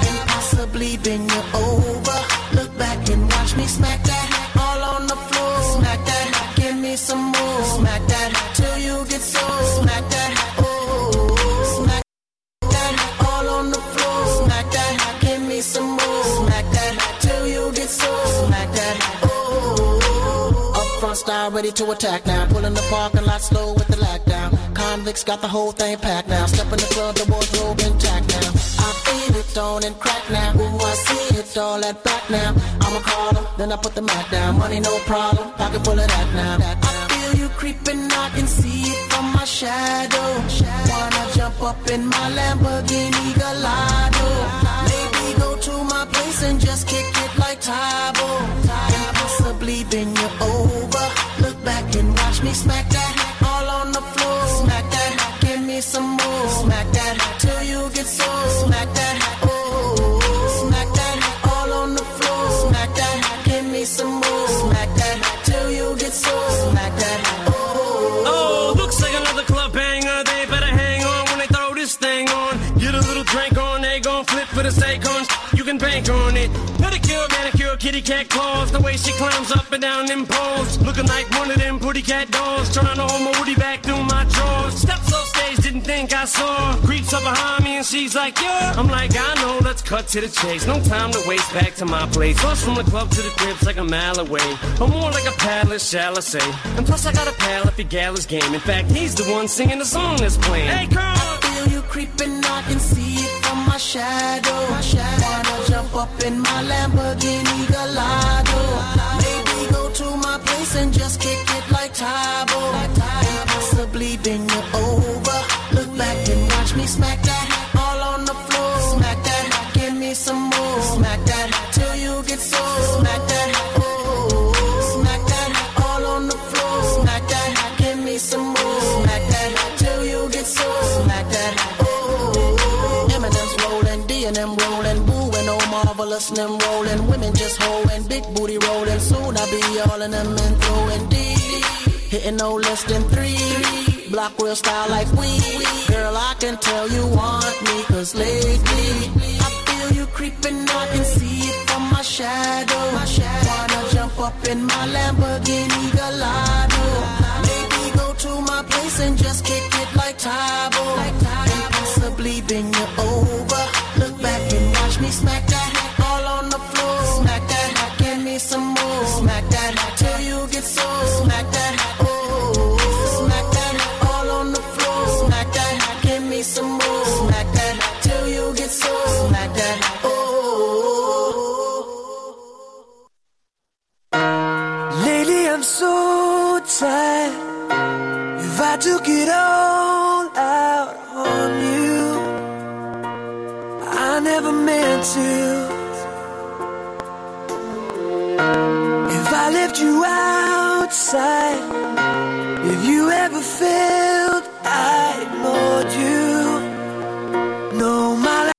and possibly bend you over. Look back and watch me smack that all on the floor. Smack that, give me some more. Smack that till you get so. Smack that. Some more. Smack that till you get so. Smack that. Oh. Up front style ready to attack now. Pulling the parking lot slow with the lag down. Convicts got the whole thing packed now. Step in the club, the wardrobe intact now. I feel it on and crack now. Ooh, I see it all at back now. I'ma call them, then I put the Mac down. Money no problem, pocket full of that now. I feel you creeping, I can see it from my shadow. Wanna jump up in my Lamborghini Gallardo? Go to my place and just kick it like Tybo, and possibly bend you over. Look back and watch me smack that all on the floor. Smack that, give me some more. Smack that till you get so. Smack that, oh. Smack that all on the floor. Smack that, give me some more. Smack that till you get so. Smack that, oh. Oh, looks like another club banger. They better hang on when they throw this thing on. Get a little drink on, they gon' flip for the steak on. You can bank on it. Pedicure, manicure, kitty cat claws. The way she climbs up and down them poles. Looking like one of them pretty cat dolls. Trying to hold my woody back through my drawers. Steps off stage, didn't think I saw. Creeps up behind me and she's like, yeah. I'm like, I know, let's cut to the chase. No time to waste, back to my place. Plus from the club to the crib's like a mile away. Or more like a palace, shall I say. And plus I got a pal if your gal is game. In fact, he's the one singing the song that's playing. Hey, girl! I feel you creeping, I can see it from my shadow. Wanna jump up in my Lamborghini Gallardo? Maybe go to my place and just kick it like Tybo, and possibly bend you over. Look back and watch me smack that all on the floor. Smack that, give me some more. Smack that till you get so. Smack that, oh. Smack that all on the floor. Smack that, give me some more. Smack that till you get so. Smack that, oh. Eminem's rolling, D&M rolling, Boo and Oh Marvelous and them rolling. Women just hoeing, big booty rolling. Soon I'll be all in them and throwing D. Hitting no less than 3. Block real style like we. Girl, I can tell you want me, cause lately I feel you creeping, I can see it from my shadow. Wanna jump up in my Lamborghini Gallardo? Maybe go to my place and just kick it like Tybo, and possibly bend you over. Look back and watch me smack that all on the floor. Smack that, give me some more. Smack that till you get so. Smack that, oh. Smack that all on the floor. Smack that, give me some more. Smack that till you get so. Smack that, oh. to. If I left you outside, if you ever felt I ignored you, no, my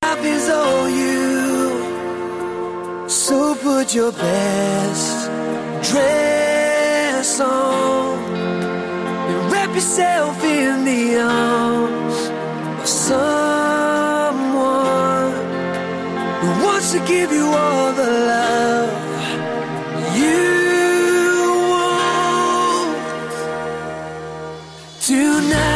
life is all you. So put your best dress on and wrap yourself in the arms of someone who wants to give you all the love you want tonight.